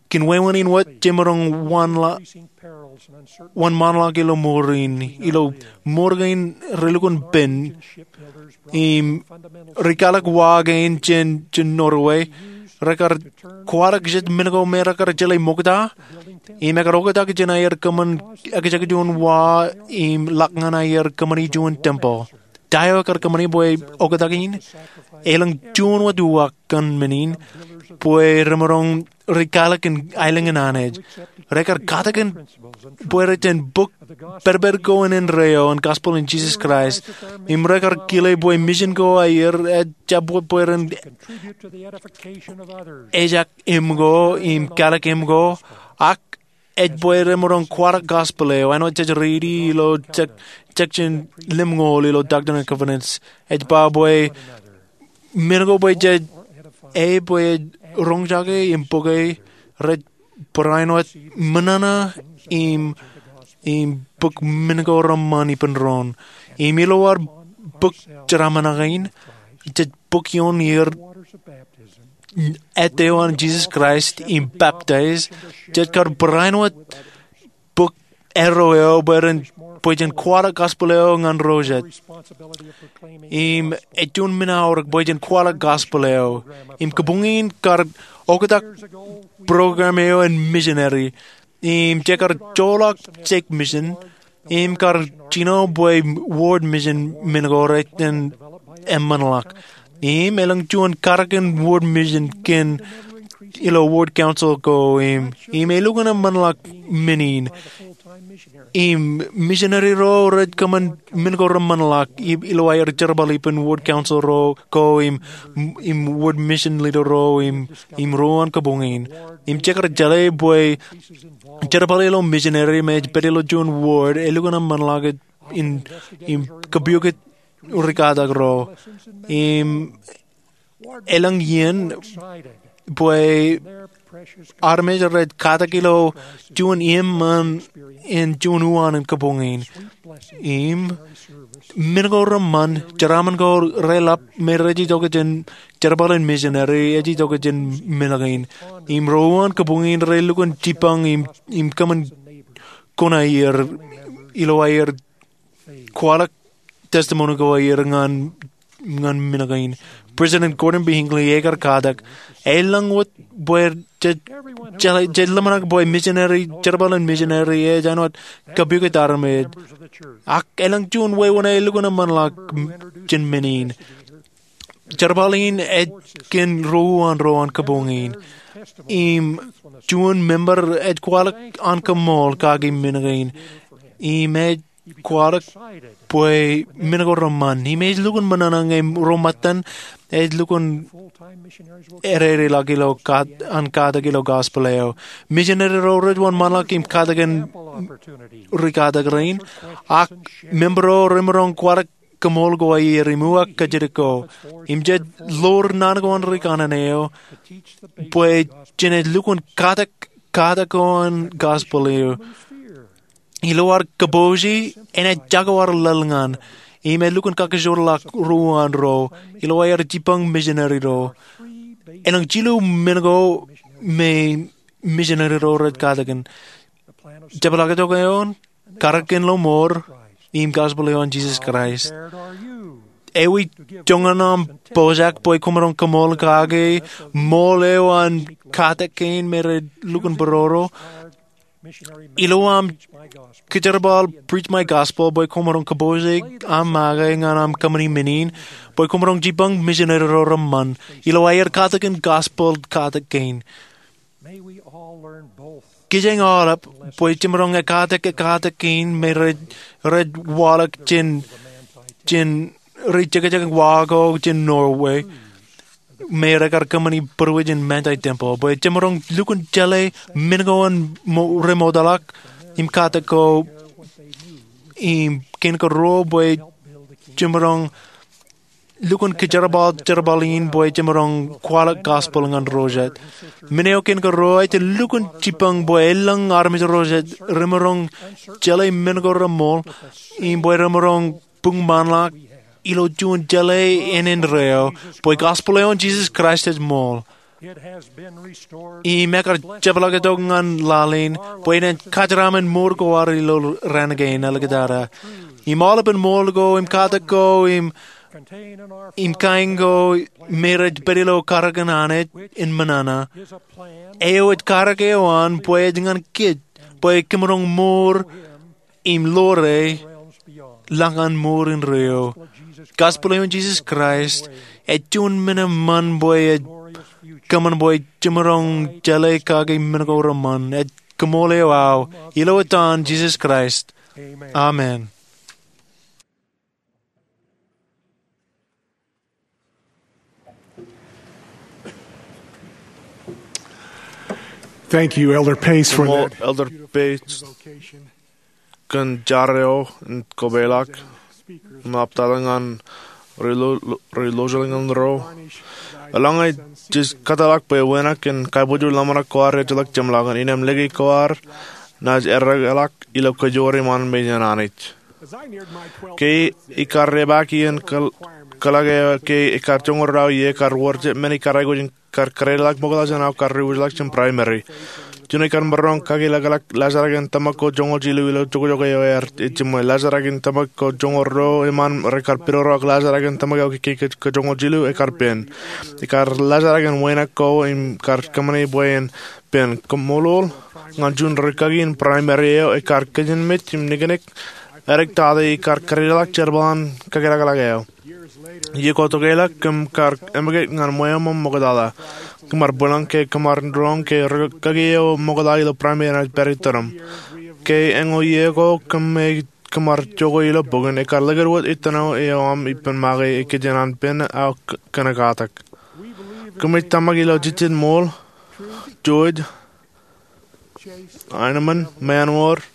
Kōn wāween in wōt jemaroñ wōnṃaanḷọk ilo mour in ilo mour kein relukkuun pen. Im ri-kalōk wa kein jān Norway rekar kwaḷọk jet men ko me rekar jeḷā ṃokta im ekar oktak jān aer kōṃṃan ekjek juon wa im ḷak ñan aer kōṃṃani juon tempeḷ. ta eo ekar kōṃṃani bwe oktak in? Elōñ juon wōt uwaak kōn men in, bwe remaroñ ri kalikin aelōñ in Anij. Rekar katakin bwe rej jen bōk pedped ko in indeeo an gospel in Jisōs Kraist, im rekar kile bwe misin ko aer ejjab bwe ren ejak im ko im kalik im ko, ak ej bwe remaroñ kwaḷọk gospel eo āinwōt jej riiti ilo section lemñoul ilo Doctrine and Covenants. Ej ba bwe men ko bwe jej, e bwe ej roñjake im bōke, rej barāinwōt ṃōṇōṇō im, im bōk men ko reṃṃan ippān doon. Im ilo ad bōk jeraaṃṃan kein, jej bōk ioon er ettō eo an Jisōs Kraist im peptaij, jej kar barāinwōt bōk arrow eo bwe ren, bwe jen kwaḷọk gospel eo ñan ro jet. Im ej juon men aorōk bwe jen kwaḷọk gospel eo. Im kabuñ in kar oktak program eo an misineri. Im jekar joḷọk stake mission im kar jino bwe ward mission men ko rej jen eṃṃanḷọk. Im elōñ juon karōk in ward mission kein ilo ward council ko im, im elukkuun eṃṃanḷọk men in. Im misineri ro rej kōṃṃan men ko reṃṃanḷọk ilo aer jerbal ippān ward council ro ko im, im ward mission leader ro im, im ruo an kabuñ in. Im jekar jeḷā bwe jerbal ilo misineri me ej pād ilo juon ward elukkuun eṃṃanḷọk in, im kapiokit rikatak ro. Im elōñ iien bwe armej rej katak ilo juon im, im, im juon uwaan in kabuñ in. Im men ko reṃṃan, jeraaṃṃan ko reḷap me rej itok jān jerbal in misineri, ej itok jān men kein. Im ro uwaan kabuñ in relukkuun jipañ im, im kōṃṃan kōn aer ilo aer kwaḷọk testimony ko aer ñan, ñan men kein. President Gordon B. Hinckley ekar katak, elōñ wōt bwe jej, jej ḷōmṇak bwe misineri, jerbal in misineri ej āinwōt kapiokit armej. Ak elōñ juon wāween elukkuun eṃṃanḷọk jān men in. Jerbal in ej kōn ro uwaan ro an kabuñ in. Im juon member ej kwaḷọk an koṃṃool kaki men kein. Im ej kwaḷọk bwe men ko reṃṃan. Im ej lukkuun ṃōṇōṇō ñe ro ṃōttan ej lukkuun ededeḷọk ilo kat, an katak ilo gospel eo. Misineri ro rej wōnṃaanḷọk im katakin rikatak rein. Ak member ro remaroñ kwaḷọk koṃṃool ko aer im uwaak kōjatdikko. Im jej ḷoor naan ko an ri kanaan eo bwe jenaaj lukkuun katak, katak ko an gospel eo ilo ad kōpooje, enaaj jako ad laḷ ñan. Im ej lukkuun kakkajorḷọk ro uwaan ro ilo aer jipañ misineri ro. Elōñ jilu men ko me misineri ro rej katakin. Jepḷaaktok eo an, karōk in lọmọọr, im gospel eo an Jisōs Kraist. Ewi joñan aṃ pojak bwe kwōmaroñ koṃṃool kake ṃool eo an katak kein me rej lukkuun būroro? Ilo aṃ kōjerbal Preach My Gospel bwe kwōmaroñ kōpooje aṃ make ñan aṃ kōṃṃani men in, bwe kwōmaroñ jipañ misineri ro reṃṃan ilo aer katakin gospel katak kein. Kijeñ aolep bwe jemaroñ ekkatak ekkatak kein me rej, rej waḷọk jān, jān ri jekjek wa ko jān Norway me rekar kōṃṃani būruwij in Manti Temple, bwe jemaroñ lukkuun jeḷā men ko an mo-, remootḷọk im katak ko im kein kōrā bwe jemaroñ lukkuun kōjerbal jerbal in bwe jemaroñ kwaḷọk gospel ñan ro jet. Men eo kein kōrā, ej lukkuun jipañ bwe elōñ armej ro jet remaroñ jeḷā men ko reṃool im bwe remaroñ buñṃaanḷọk ilo juon jeḷā ānen ro bwe gospel eo an Jisōs Kraist ej ṃool. Im ekar jepḷaaktok ñan laḷ in bwe enaaj kōjeraṃṃan mour ko ad ilo raan kein āliktata. Im aolepen ṃool ko im katak ko im, im kain ko me rej pād ilo karōk in Anij in ṃōṇōṇō, eo ej karōk eo an bwe ej ñan kōj bwe kōmaroñ mour im ḷoore lañ an mour indeeo. Gospel eo an Jesus Christ ej juon men eṃṃan bwe ej kōṃṃan bwe jemaroñ jeḷā kake men ko reṃṃan. Ej koṃṃool eo aō, ilo etan Jesus Christ, amen. Thank you, Elder Pace, for that. Elder Pace, kōn jar eo in kopeḷḷọk im aptata ñan ri lo-, ri lojḷọk ñan ro. Eḷaññe jej kōtḷọk bwe wānōk in kabbokbok ḷōmṇak ko ad ejjeḷọk jeṃḷọkin, innām lōke ko ad naaj errā ḷọk ilo kajoor iṃaan mejān Anij. Ke ikar epaak iien kōḷ-, kōḷḷọk eo ke ikar joñoul ruo iiō, kar wōr jet men ikar aikuj in kar kōdālḷọk ṃokta jān aō kar diwōjḷọk jān primary. Juon ikar maroñ kakeḷọkḷọk laajrak in tōmak ko joñoul jilu ilo jokjok eo ear ejiṃwe. Laajrak in tōmak ko joñoul ruo eṃṃan rekar pidodoḷọk laajrak in tōmak eo ke, ke, ke joñoul jilu ekar pen. Ikar laajrak in wānōk ko im kar kōṃṃane bwe en pen. Koṃṃool ñan juon rūkaki in primary eo ekar kijenmej im niknik. Edik tata ikar kōdālḷọk jerbal an kakeḷọkḷọk eo. Iiō ko tokālik kōm kar emmekūt ñan ṃweo ṃōṃ ṃoktata. Kōm ar bwilōñ ke kōm ar roñ ke rūkaki eo ṃokta ilo primary enaaj pād iturin. Ke eño iiō ko kōm ej, kōm ar jokwe ilo bukun, ekar likūt wōt ittino eo aṃ ippān make ikijjien an pen aō k-, kōnkatak. Kōmij tōmak ilo jejjet ṃool, George, Heinemann, mānwōr,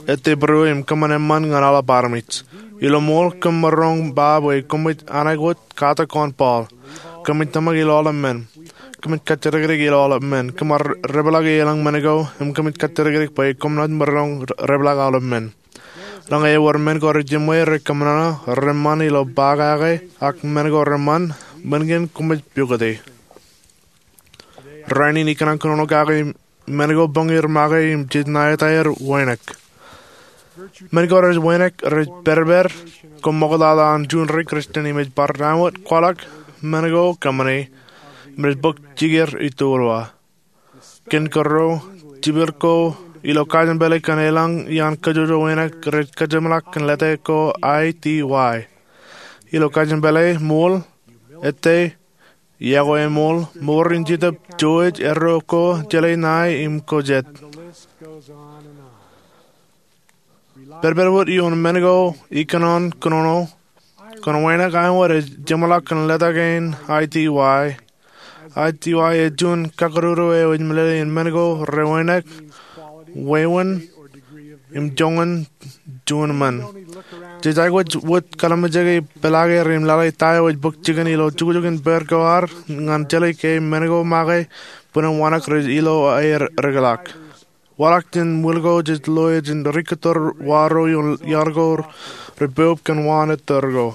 ettebōro im kōṃṃan eṃṃan ñan aolep armej. Ilo ṃool kōm maroñ ba bwe koṃij aikuj katak oan Paul. Kōmij tōmak ilo aolep men. Kōmij kajjidikdik ilo aolep men. Kōm ar depḷọk elōñ men ko im kōmij kajjidikdik bwe koṃ naaj maroñ depḷọk aolep men. Eḷaññe ewōr men ko rejiṃwe, rekōṃṃan, reṃṃan ilo ba kake, ak men ko reṃṃan, men kein koṃij pukoti. Rainin ikōṇaan kōnono kake men ko bōñier make im jej ṇa etaer wānōk. Men ko rej wānōk rej pedped ko ṃoktata an juon ri-Christian im ej bar down wōt kwaḷọk men ko kōṃṃane im rej bōk jikier ituwōlwa. Kōn kōrā, jipel ko ilo kajeṃ pālle kōn elōñ iaan kōjwōjwōj wānōk rej kajeṃḷọk kōn lōte ko I T Y. Ilo kajeṃ pālle ṃool, ettā, iọkwe eṃool, mour in Jetōb George, erro ko, jeḷā ṇae im ko jet. Pedped wōt ioon men ko ikōṇaan kōnono, kōn wānōk eo ej jeṃḷọk kōn lōte kein I T Y. I T Y ej juon kakūrū eo ej meḷeḷe in men ko rewānōk, wāween, im joñan juon men. Jej aikuj wōt kalimjeke peḷaake im lale ta eo ej bōk jikin ilo jukjuk in pād ko ad ñan jeḷā ke men ko make bōlen wānōk rej ilo aer rūkḷọk. Waḷọk jān ṃwiin ko jej lo jān ri-kōttar wa ro ioon yaar ko repoub kōn waan ettōr ko.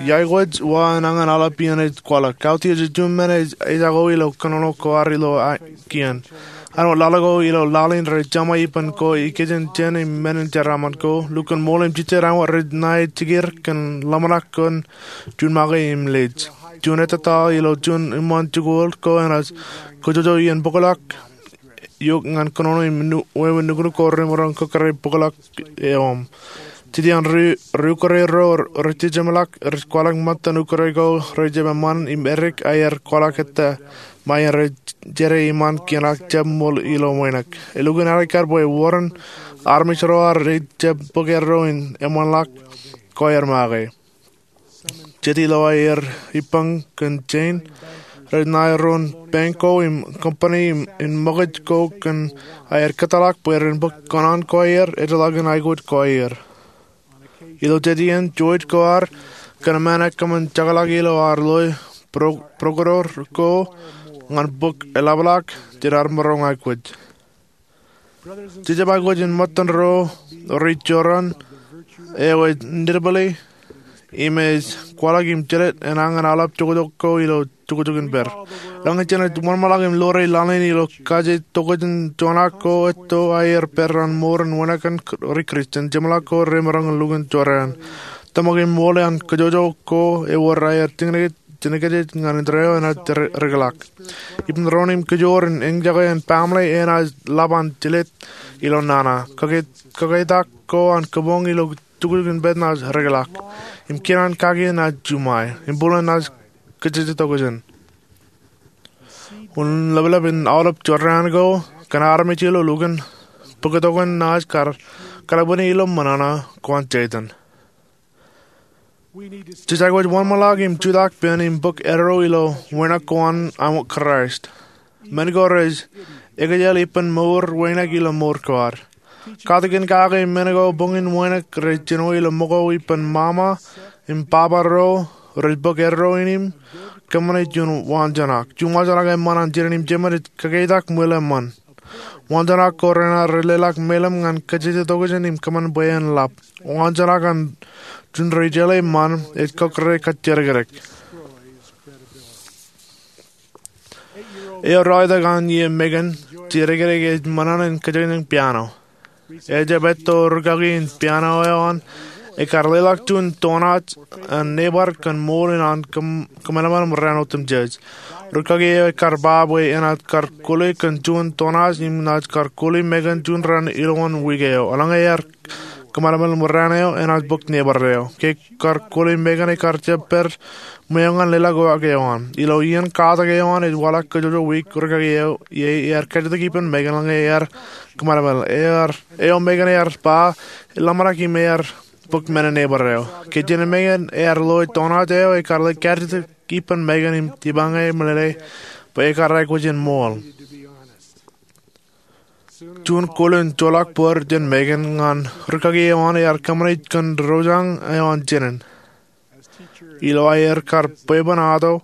Iaikuj wa enañin aolep iien ej kwaḷọk. Kautiej ej juon men ej, ej jako ilo kōnono ko ad ilo a-, kien. Āinwōt laḷ ko ilo laḷ in rej jeṃḷọk ippān ko ikijjien jān im men in jeraaṃṃan ko, lukkuun ṃool im jejjet āinwōt rej ṇae jikier kōn ḷōmṇak kōn juon make im lej. Juon ettataḷ ilo juon iṃaan jikuuḷ ko enaaj kōjwōjwōj iien bōkḷọk eok ñan kōnono im nu-, wāween nuknuk ko remaroñ kōkkure bōkḷọk eo aṃ. Jet iaan ri-, ri-ukure ro rej jejeṃḷọk rej kwaḷọk ṃōttan ukure ko rej jab eṃṃan im edik aer kwaḷọk ettā ṃae in rej jere iṃaan kiin ak jab ṃool ilo wānōk. Elukkuun aō kar bwe wōr an armej ro ad rej jab bōk erro in eṃṃanḷọk ko aer make. Jet ilo aer ippān kōn jān, rej ṇae ro in bank ko im company im, im ṃōkaj ko kōn aer kōtḷọk bwe ren bōk kōṇaan ko aer, ejjeḷọkin aikuj ko aer. Ilo jet iien, George ko ad kōn eṃṃan ekōṃṃan jekḷọk ilo ad loi pro-, procurator ko ñan bōk eḷapḷọk jān ad maroñ aikuj. Jejjab aikuj in ṃōttan ro rej jorrāān eo ej nitpili im ej kwaḷọk im jelōt enañin aolep jokjok ko ilo jukjuk in pād. Eḷaññe jenaaj wōnṃaanḷọk im ḷoore laḷ in ilo kaje tokjān joñak ko etto aer pād an mour in wānōk an ri-Christian, jeṃḷọk ko remaroñ in lukkuun jorrāān. Tōmak im ṃool an kōjwōjwōj ko ewōr aer tikōnik, tikōnikjej ñan indeeo enaaj rūkḷọk. Ippān doon im kōjoor in eñjake an baaṃle enaaj ḷap an jelōt ilo nana. Kōkeitak ko an kōboñ ilo tuktuk in pād naaj rikilak im kōṇaan kaki naaj juṃae im būḷōn naaj kajjitōk tokjān. Unin ḷapḷap in aolep jorrāān ko kōn armej ilo lukkuun bōktok in naaj kar kaḷapani ilo ṃōṇōṇō ko an Setan. Jej aikuj wōnṃaanḷọk im jutak pen im bōk erro ilo wānōk ko an āinwōt Kraist. Men ko rej ekejel ippān mour wānōk ilo mour ko ad. Katakin kake men ko boñin wānōk rej jino ilo ṃōko ippān ṃaṃa im baba ro rej bōk erro in im kōṃṃane juon waanjoñak. Juon waanjoñak eṃṃan an jinen im jemān ej kōkeitak ṃwilaṃōn. Waanjoñak ko renaaj leḷọk meilōṃ ñan kajjitōk tokjān im kōṃṃan bwe en lap. Waanjoñak an juon rej jeḷā eṃṃan ej kōkkuwere kajjidikdik. Eo ralitōk an ie Megan, jidikdik ej ṃōṇōṇō in kōjañjañ piano. Ejjab etto rūkaki in piano eo an ekar leḷọk juon toṇaaj an neighbor kōn ṃool in an kōmālaṃōl im raan otemjej. Rūkaki eo ekar ba bwe enaaj kar kuli kōn juon toṇaaj im naaj kar kuli Megan juon raan ilowaan wiik eo. Eḷaññe ear kōmālaṃōl im raan eo enaaj bōk neighbor eo. Ke kar kuli Megan ekar jab pād ṃweo ñan leḷọk uwaak eo an. Ilo iien katak eo an ej waḷọk kōjwōjwō wiik rūkaki eo ie ear kajjitōk ippān Megan eḷaññe ear kōmālaṃōl. Eo Megan ear ba eḷap ṇe im ear bōk men in neighbor eo. Ke jinen Megan ear loe toṇaaj eo ekar ḷe kajjitōk ippān Megan im jipañe meḷeḷe bwe ekar aikuj in ṃool. Juon kōl in joḷọk bōd jān Megan ñan rūkaki eo an ear kōṃṃane kōn roñjake eo an jinen. Ilo aer kar bwebwenato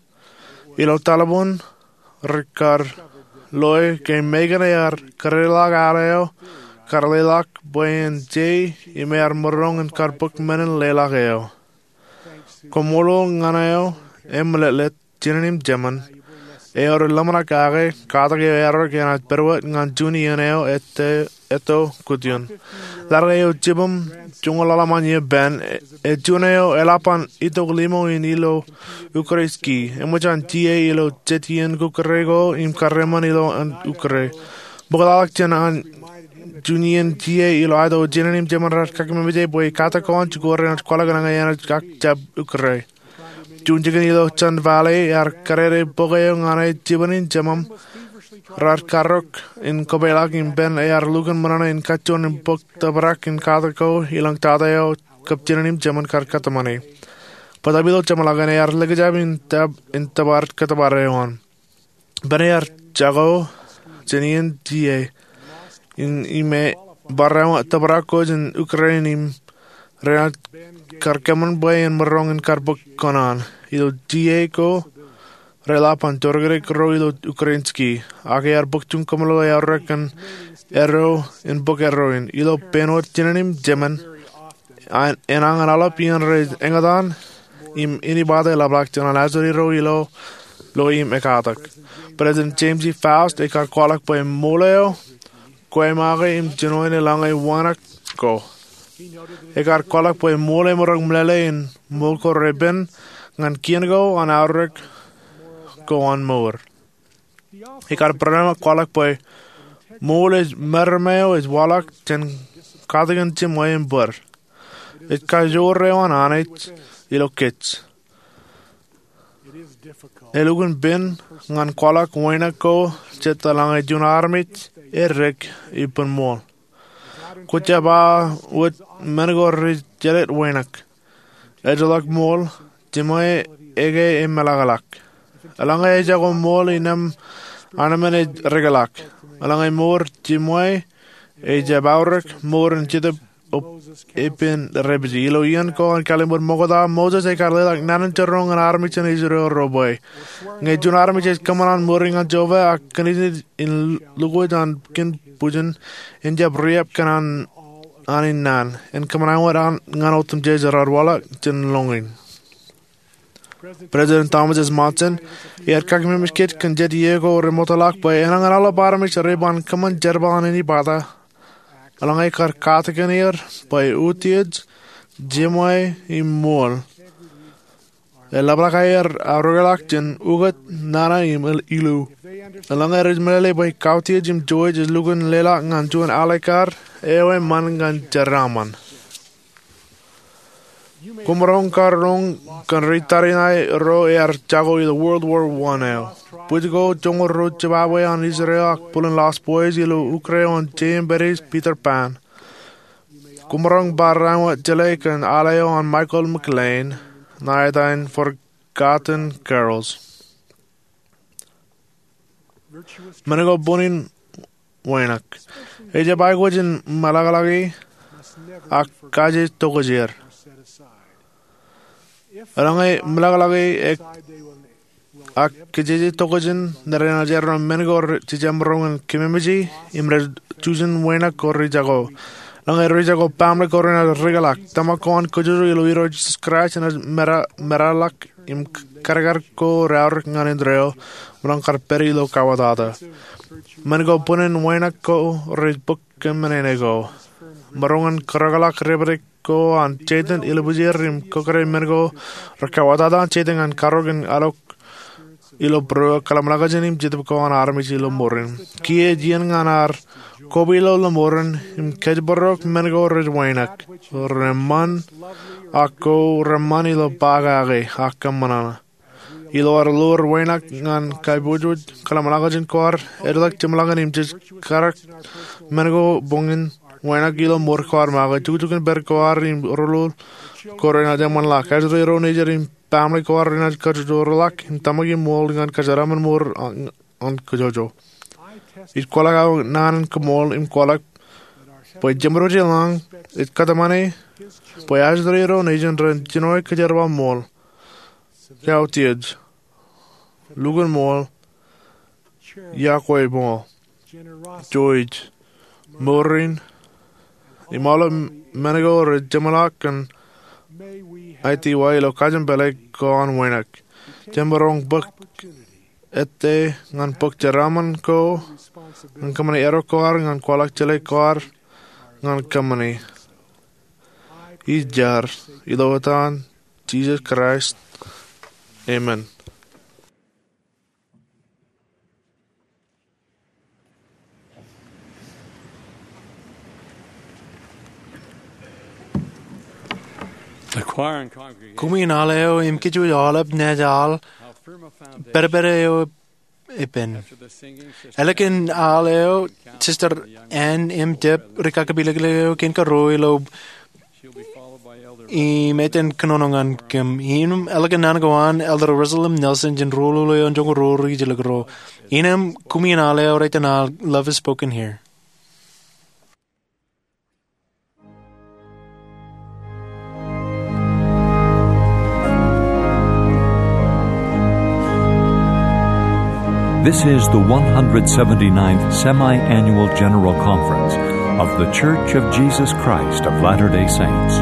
ilo taḷboon, rekar loe ke Megan ear kōdeḷọk al eo kar leḷọk bwe en je im ear maroñ in kar bōk men in leḷọk eo. Koṃṃool ñan eo eṃṃanḷọk jinen im jemān eo rej ḷōmṇak kake katak eo eaorōk enaaj pād wōt ñan juon iien eo etto kutiōn. Laḷ eo jibūṃ joñoul ḷalem an iien pen, ej juon eo eḷap an itok limo in ilo ukkure ski. Eṃōj an tia ilo jet iien ukkure ko im karreoṃṃan ilo an ukkure. Bōktaḷọk jān an juon iien tia ilo aeto jinen im jemān raar kakeememej bwe katak ko an jikuuḷ renaaj kwaḷọk eḷaññe enaaj ak jab ukkure. Juon jikin ilo Sun Valley ear kadede bok eo ñan e jibwin in jemām raar karrok in kopeḷḷọk im pen ear lukkuun ṃōṇōṇō in kajjojo im bōk tōprak in katak ko ilañ tata eo kab jinen im jemān kar kōtmāne. Bōtab ilo jeṃḷọkin ear likjab in tōpar kōtōpar eo an. Pen ear jako jān iien tia in im barāinwōt tōprak ko jān ukkure in im renaaj kar kōṃṃan bwe en maroñ in kar bōk kōṇaan. Ilo tia ko reḷap an jodikdik ro ilo ukkure in ski. Ak ear bōk juon kōmeḷeḷe eaorōk kōn erro in bōk erro in. Ilo pein wōt jinen im jemān enañin aolep iien rej eñtaan im inepata ḷapḷọk jān an ajri ro ilo loe im ekatak. President James E. Faust ekar kwaḷọk bwe ṃool eo kwōmakeḷọk im jinoin eḷaññe wānōk ko. Ekar kwaḷọk bwe ṃool emaroñ meḷeḷe in ṃool ko repen ñan kien ko an aorōk ko an mour. Ekar barāinwōt kwaḷọk bwe ṃool ej meram eo ej waḷọk jān katakin jiṃwe im bōd. Ej kajoor eo an Anij ilo kōj. Elukkuun pen ñan kwaḷọk wānōk ko jet eḷaññe juon armej eddek ippān ṃool. Kwōjab aō wōt men ko rej jelōt wānōk. Ejjeḷọk ṃool, jiṃwe eke emeḷọkḷọk. Eḷaññe ejako ṃool, innem anemān ej rikḷọk. Eḷaññe mour, jiṃwe ejjab aorōk mour in Jetōb epen dāpiji. Ilo iien ko an Kalliṃur Ṃokta, Moses ekar leḷọk naan in jerawiwi ñan armej in Israel ro bwe ñe juon armej ej kōṃṃan an ṃuri ñan Jeova ak kōnij in lukwōj an kien bwijin, en jab riab kōn an in naan, en kōṃṃan āinwōt ñan otemjej raar waḷọk jān lōñ in. President Thomas S. Monson ear kakeememej kōj kōn jet iiō ko remootḷọk bwe enañin aolep armej reban kōṃṃan jerbal an inepata eḷaññe kar katakin er bwe utiej, jiṃwe im ṃool Eḷapḷọk aer aorōkḷọk jān ukōt, nana im ilu. Eḷaññe rej meḷeḷe bwe kautiej im jouj ej lukkuun leḷọk ñan juon alikkar, eo eṃṃan ñan jeraaṃṃan. Koṃ roñ karoñ kōn ri tariṇae ro ear jako ilo World War One eo. Bwij ko joñoul ruo jibabwe an Israel ak bōlen Lost Boys ilo ukre oon J M Barrie's Peter Pan. Koṃ roñ bar raan wōt jeḷā kōn al eo an Michael McLean, ṇa etan Forgotten Carols. Men ko bōn in wānōk. Ejjab aikuj in meḷọkḷọki ak kaje tokjāer. Eḷaññe meḷọkḷọki ak kaje tokjān, nōrā enaaj erro men ko rej jemaroñ in kememej im rej jujen wānōk ko rej jako. Eḷaññe rej jako, baaṃle ko renaaj rikḷọk. Tōmak ko an kōjwōjwōj ilo Irooj Jisōs Kraist enaaj meḷọkḷọk im kadkad ko reaorōk ñan indeeo, ṃōṇōṇō kar pād ilo kawōtata. Men ko bōn in wānōk ko rej bōk kōṃṃane ko. Maroñ in kōrọọlḷọk dāpdik ko an Setan ilubjeer im kōkōṇe men ko rekawōtata an Setan ñan karọk in alwōj ilo būruō kōḷmānḷọkjeṇ im jetōb ko an armej ilo mour in. Kiiō ej iien ñan ad koba ilo lọmọọren im kōjparok men ko rej wānōk, reṃṃan, ak ko reṃṃan ilo ba kake ak kōṃṃan. Ilo ad lowōj wānōk ñan kaiboojoj kōḷmānḷọkjeṇ ko ad, ej ḷọk jeṃḷọkin im jej kadkad men ko bōn in wānōk ilo mour ko ad make. Jukjuk in pād ko ad im rūruul ko renaaj eṃṃanḷọk. Ajri ro nejid im baaṃle ko ad renaaj kōjwōjwōdḷọk im tōmak im ṃool ñan kōjeraaṃṃan mour an kōjwōjwōd. Ij kwaḷọk aō naan in koṃṃool im kwaḷọk bwe Jemedwōj ilañ ej kōtmāne bwe ajri ro nejin ren jino kōjerbal ṃool, kautiej, lukkuun ṃool, iọkwe ṃool, jouj, mour in, im aolep men ko rej jeṃḷọk kōn aitiwa ilo kajin pālle ko an wānōk. Jemaroñ bōk ettā ñan bōk jeraaṃṃan ko ñan kōṃṃane erro ko ad ñan kwaḷọk jeḷā ko ad ñan kōṃṃane. Ij jar ilo etan Jisōs Kraist, amen. Koṃwin al eo im kōj aolep naaj al, pedped eo epen. Ālikin al eo, Sister Ann M. Dipp, ri kakapelikpelik eo kein karuo ilo im etan kōnono ñan kōm. Im ālikin naan ko an, Elder Russell M. Nelson jān ruo ḷọk eo joñoul ruo ri jilkinḷọk ro. Innām koṃwin al eo, etan al Love Is Spoken Here. This is the one hundred seventy-ninth Semi-Annual General Conference of The Church of Jesus Christ of Latter-day Saints.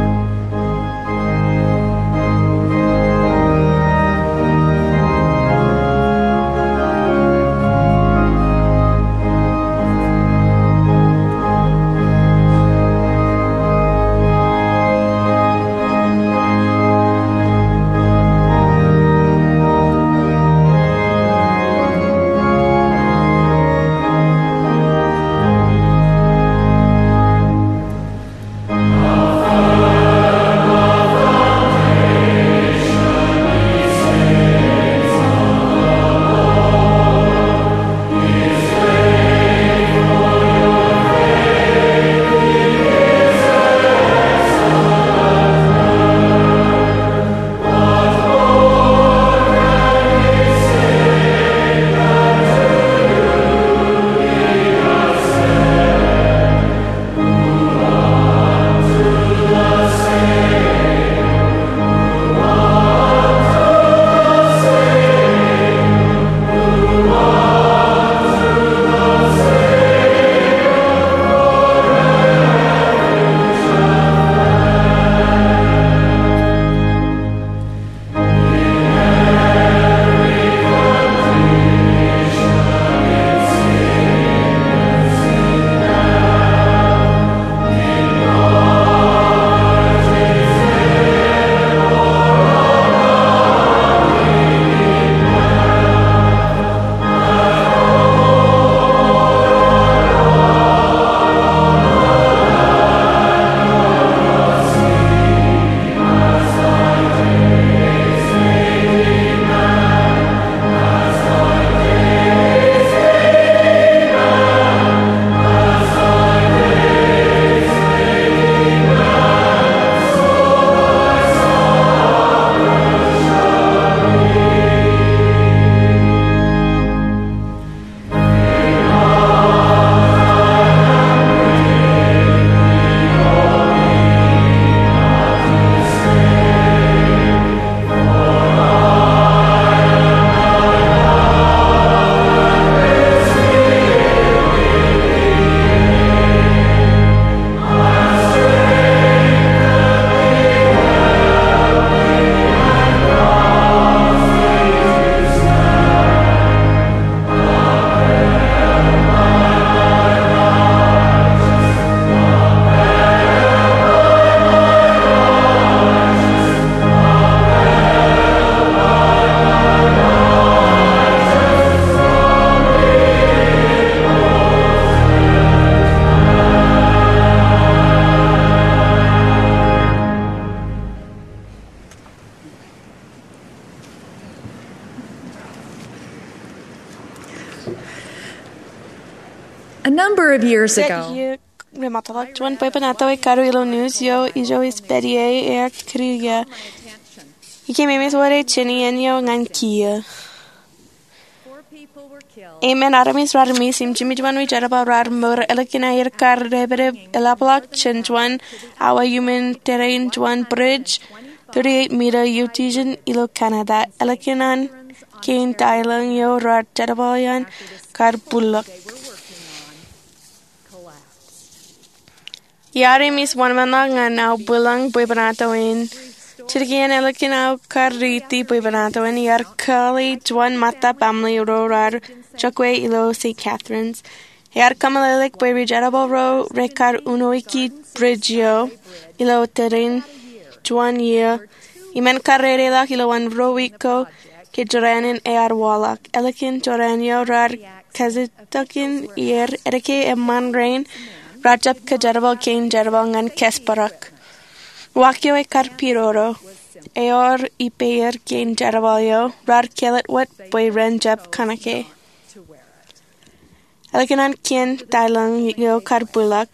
Number of years ago, iiō rej ṃōttan ḷọk juon bwebwenato ej kadu ilo news eo ijo ej pād ie ear kūr ie. Ikememej wōt ej jān iien eo ñan kiiō. Emān armej rar miss im jimjuon ri jerbal rar mour ālikin aer kar dāpdep eḷapḷọk jān juon awa iuṃwin tōrein juon bridge thirty-eight mita iutijeṇ ilo Canada ālikin an kein tailōñ eo rar jerbal iaan kar bwilōk. Iar emis wōnṃaanḷọk ñan aō bwilōñ bwebwenato in. Jidik iien ālikin aō kar riiti bwebwenato in, iar kale juon ṃōttā baaṃle ro rar jokwe ilo Saint Catharines. Ear kōmeḷeḷeik bwe ri jerbal ro rekar unoiki bridge eo ilo tōrein juon iiō. Im en kar dedeḷọk ilowaan ruo wiik ko ke jorrāān in ear waḷọk. Ālikin jorrāān eo rar kajetakjin er edeke eṃṃan rein rar jab kajerbal kein jerbal ñan kōsparak. Uwaak eo ekar pidodo. Ewōr ippāer kein jerbal eo rar kālet wōt bwe ren jab kōṇake. Ālikin an kein tailōñ eo kar bwilōk,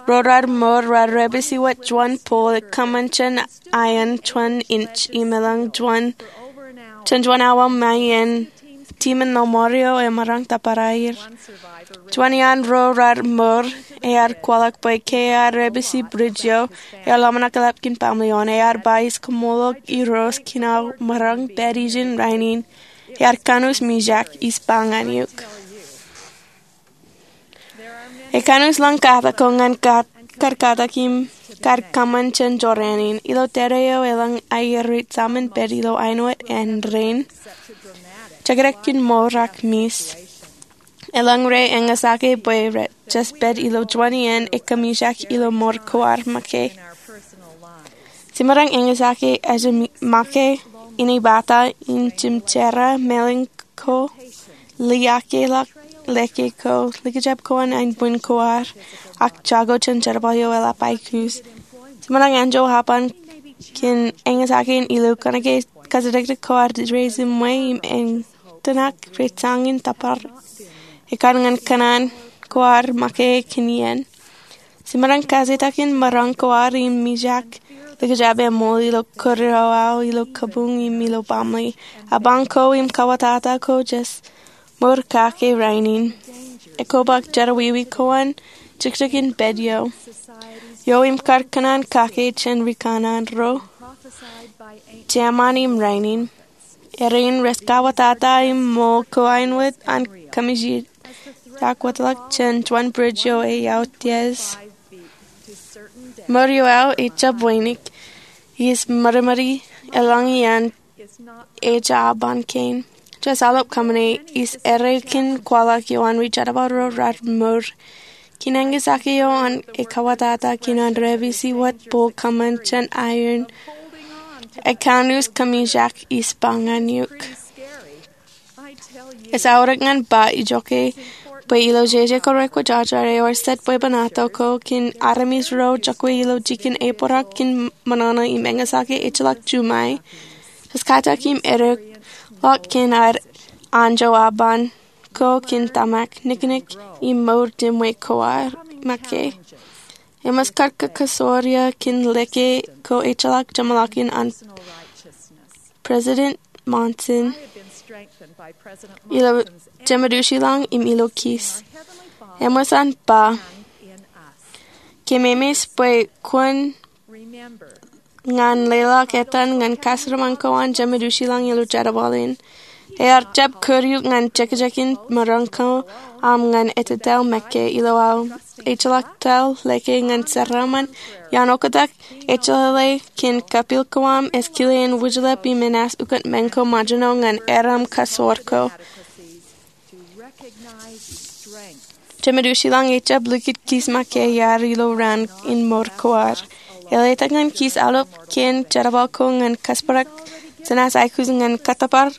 ro rar mour rar dāpiji wōt juon pole kōṃṃan jān iron juon inch im elōñ juon jān juon awa ṃae iien tiṃoṇ ṇo ṃor eo emaroñ tōpar aer. Juon iaan ro rar mour ear kwaḷọk bwe ke ear dāpiji bridge eo, ear ḷōmṇak eḷap kōn baaṃle eo an. Ear ba ij kaṃṃoolol Irooj kōn aō maroñ pād ijin rainin. Ear kanus mijak ij ba ñan eok. Ekaṇus lōñ katak ko ñan kar katak im kar kōṃṃan jān jorrāān in. Ilo tōre eo elōñ aer rej jaṃin pād ilo āinwōt āindein. Jekdek in mour ak miss. Elōñ rej eñesake bwe rej jab pād ilo juon iien ekōmijak ilo mour ko ad make. Jemaroñ eñesake ejemake, inepata, injimjerā, mālōñ ko, liaakḷọk lōke ko, likjab ko an aenbwin ko ad, ak jako jān jerbal eo eḷap aikuj. Jemaroñ anjọ aban kōn eñesake in ilo kōnke kajjitōk ko ad rej jiṃwe im eñtōnak rej jañin tōpar. Ekar ñan kōṇaan ko ad make kōn iien. Jemaroñ kajjitōk in maroñ ko ad im mijak, likjab eṃool ilo kūr eo aō ilo kabuñ im ilo baaṃle. Abañ ko im kautata ko jej mour kake rainin. Ekobak jerọwiwi ko an jekjekin pād eo. Eo im kar kōṇaan kake jān rikōṇaan ro jeṃaan im rainin. Erin rej kautata im ṃool ko āinwōt an kōmijak wōtḷọk jān juon bridge eo eautiej. Mour eo aō ejjab wānōk. Ij ṃadṃōdi elōñ iaan ej aban kein. Jej aolep kōṃṃane ij errā kōn kwaḷọk eo an ri jerbal ro rar mour. Kōn eñesake eo an ekautata kōn an dāpiji wōt pole kōṃṃan jān iron. Ekaṇus kōmijak ij ba ñan eok. Ej aorōk ñan ba ijoke bwe ilo jeje ko rekwōjarjar ewōr jet bwebwenato ko kōn armej ro jokwe ilo jikin ebōrọk kōn ṃōṇōṇō im eñesake ejjeḷọk juṃae. Jej katak im edekḷọk kōn ad anjọ aban ko kōn tōmak, niknik im mour ṃwe ko ad make. Eṃōj kar kōkōsoor ia kōn lōke ko ejjeḷọk jeṃḷọkin an President Monson ilo Jemedwōj ilañ im ilo kiis. Eṃōj an ba, kōmemeej bwe kwōn ñan leḷọk etan ñan kajeraaṃṃan ko an Jemedwōj ilañ ilo jerbal in. Ear jab kūr eok ñan jekjekin maroñ ko aṃ ñan ettōl make ilo aō ejjeḷọk tōl lōke ñan jeraaṃṃan. Iaan oktak ejjeḷọk kōn kapeel ko aṃ ej kile in wūjlepḷọk im enaaj ukōt men ko ṃōjṇọ ñan erom kasoor ko. Jemedwōj ilañ ejjab likūt kiis make iar ilo raan in mour ko ad. Eḷap ñan kiis aolep kōn jerbal ko ñan kōsparak, jenaaj aikuj ñan kōttōpar,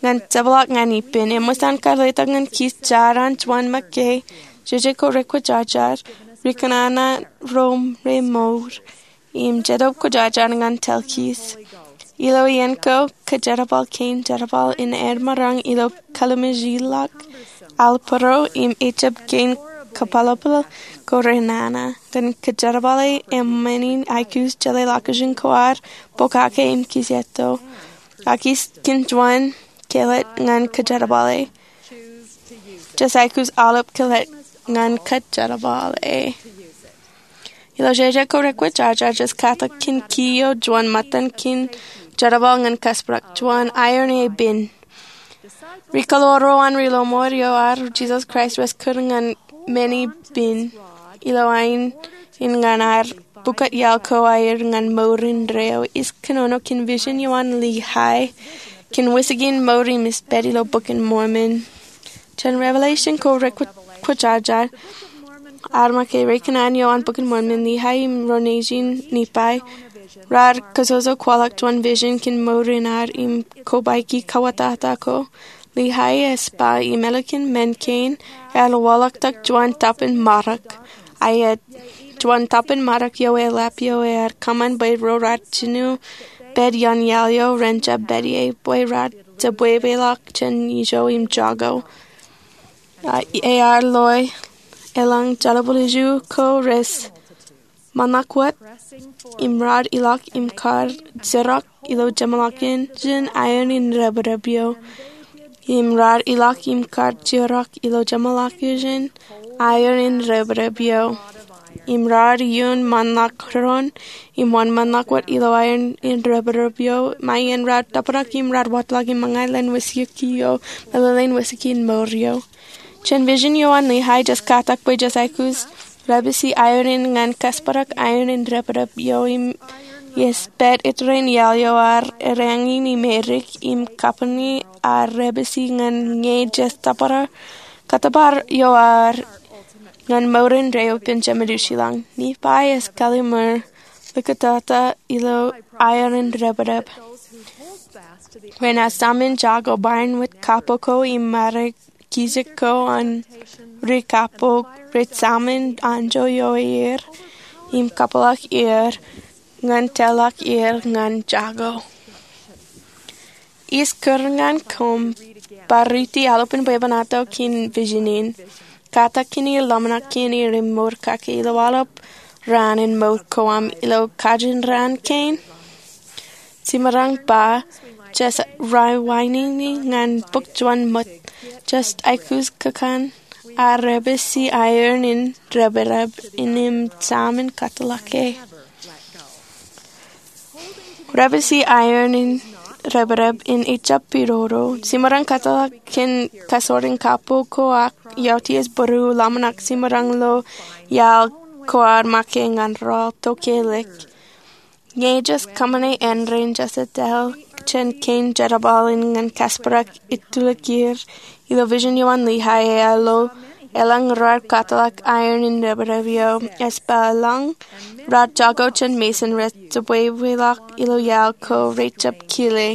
ñan jepḷaak ñan ippān. Eṃōj an kar letok ñan kiis jaar an juon make, jeje ko rekwōjarjar, rikōṇaan ro remour im Jetōb Kwōjarjar ñan tōl kiis. Ilo iien ko, kōjerbal kein jerbal in aer maroñ ilo kallimjek ḷọk, al būruō im ejjab kein kōpeḷḷọk ko renana ñan kōjerbale eṃṃan in aikuj jeḷā location ko ad pokake im kijeḷā to. Ak ij kōn juon kelōt ñan kōjerbale. Jej aikuj aolep kelōt ñan kōjerbale. Ilo jeje ko rekwōjarjar, jej katak kōn kiiō juon ṃōttan kōn jerbal ñan kōsperak, juon aer ṇe pen. Ri kaḷoor ro an ri lọmọọr eo ad Jisōs Kraist rej kūr ñan men in pen ilo ain in ñan ad pukot iaḷ ko aer ñan mour indeeo. Ij kōnono kōn vision eo an Lehi kōn wōjke in mour im ej pād ilo Bok in Mormon. Jān Revelation ko rekwōjarjar, ad make ri kōṇaan eo an Bok in Mormon, Lehi im ro nejin Nephi raar kajojo kwaḷọk juon vision kōn mour in ad im kobaiki kawōtata ko. Lehi ej ba im ālikin men kein, ear waḷọktok juon tapan marak. Ak juon tapan marak eo eḷap eo ear kōṃṃan bwe ro raar jino pād iaan iaḷ eo ren jab pād ie, bwe raar jebwebweḷọk jān ijo im jako. Ak ear lo eḷaññe jerbal iju ko rej ṃōṇak wōt im raar ilọk im kar jirak ilo jeṃḷọkin aer independen eo. Im raar ilọk im kar jirak ilo jeṃḷọkin aer independen eo. Im raar iuun ṃōṇak doon im wōnṃōṇak wōt ilo aer independen eo, ṃae in raar tōprak im raar wōtlọk im ṃōñā leen wōjke eo, meḷeḷein wōjke in mour eo. Jān vision eo an Lehi, jej katak bwe jej aikuj rebisi aer in ñan kōsperak aer independen eo im ej pād ippān iaḷ eo ad errā ñan Amerika im kappani ad rebisi ñan ñe jej tōprak kōttōpar eo ad ñan mour indeeo ippān Jemedū Shilañ. Nephi ej kallimur likūtata ilo aer independen. Bwe en saṃ in jako barāinwōt kapo ko im ṃare kijek ko an ri kapo rej saṃ in anjọ ioer im kapeḷḷọk er ñan tōlḷọk er ñan jako. Ij kūr ñan koṃ bar riiti aolepān bwebwenato kōn vision in. Katak kōn er ḷōmṇak kōn er im mour kake ilo aolep raan in mour ko aṃ ilo kajin raan kein. Jemaroñ ba, jej rewinding ñan bōk juon ṃōt, jej aikuj kōkkan ak rebisi aer independen im saṃ in kōtḷọk e. Rebisi aer independen in ejjab pidodo. Jemaroñ kōtḷọk kōn kasoor in kapo ko ak ioutiej būruō ḷōmṇak. Jemaroñ lo iaḷ ko ad make ñan rọọl tokālik. Ñe jej kōṃṃane āindein, jej etal jān kein jerbal in ñan kōsperak itulikūr. Ilo vision eo an Lehi ear lo eḷaññe raar kōtḷọk aer independen eo, ej ba eḷaññe raar jako jān Mason rej jebwebweḷọk ilo iaḷ ko rej jab kile.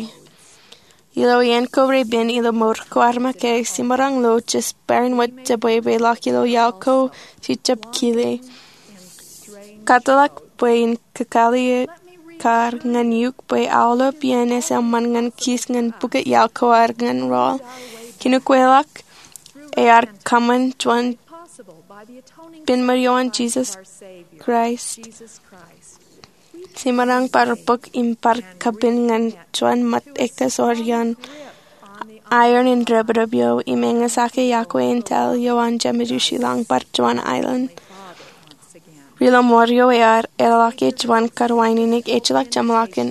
Ilo iien ko repen ilo mour ko ad make, jemaroñ lo jej barāinwōt jebwebweḷọk ilo iaḷ ko jej jab kile. Kōtḷọk bwe in kakalikkar ñan eok bwe aolep iien ej eṃṃan ñan kij ñan pukot iaḷ ko ad ñan rọọl. Kōn ukweḷọk ear kōṃṃan juon pen ṃōn eo an Jisōs Kraist. Jemaroñ bar bōk im bar kapen ñan juon ṃōt ekta soor iaan aer independen eo im eñesake iọkwe in taḷ eo an Jemedū Shilañ bar juon aelōñ. Ri lọmọọr eo ear eḷọke juon karuwainene ejjeḷọk jeṃḷọkin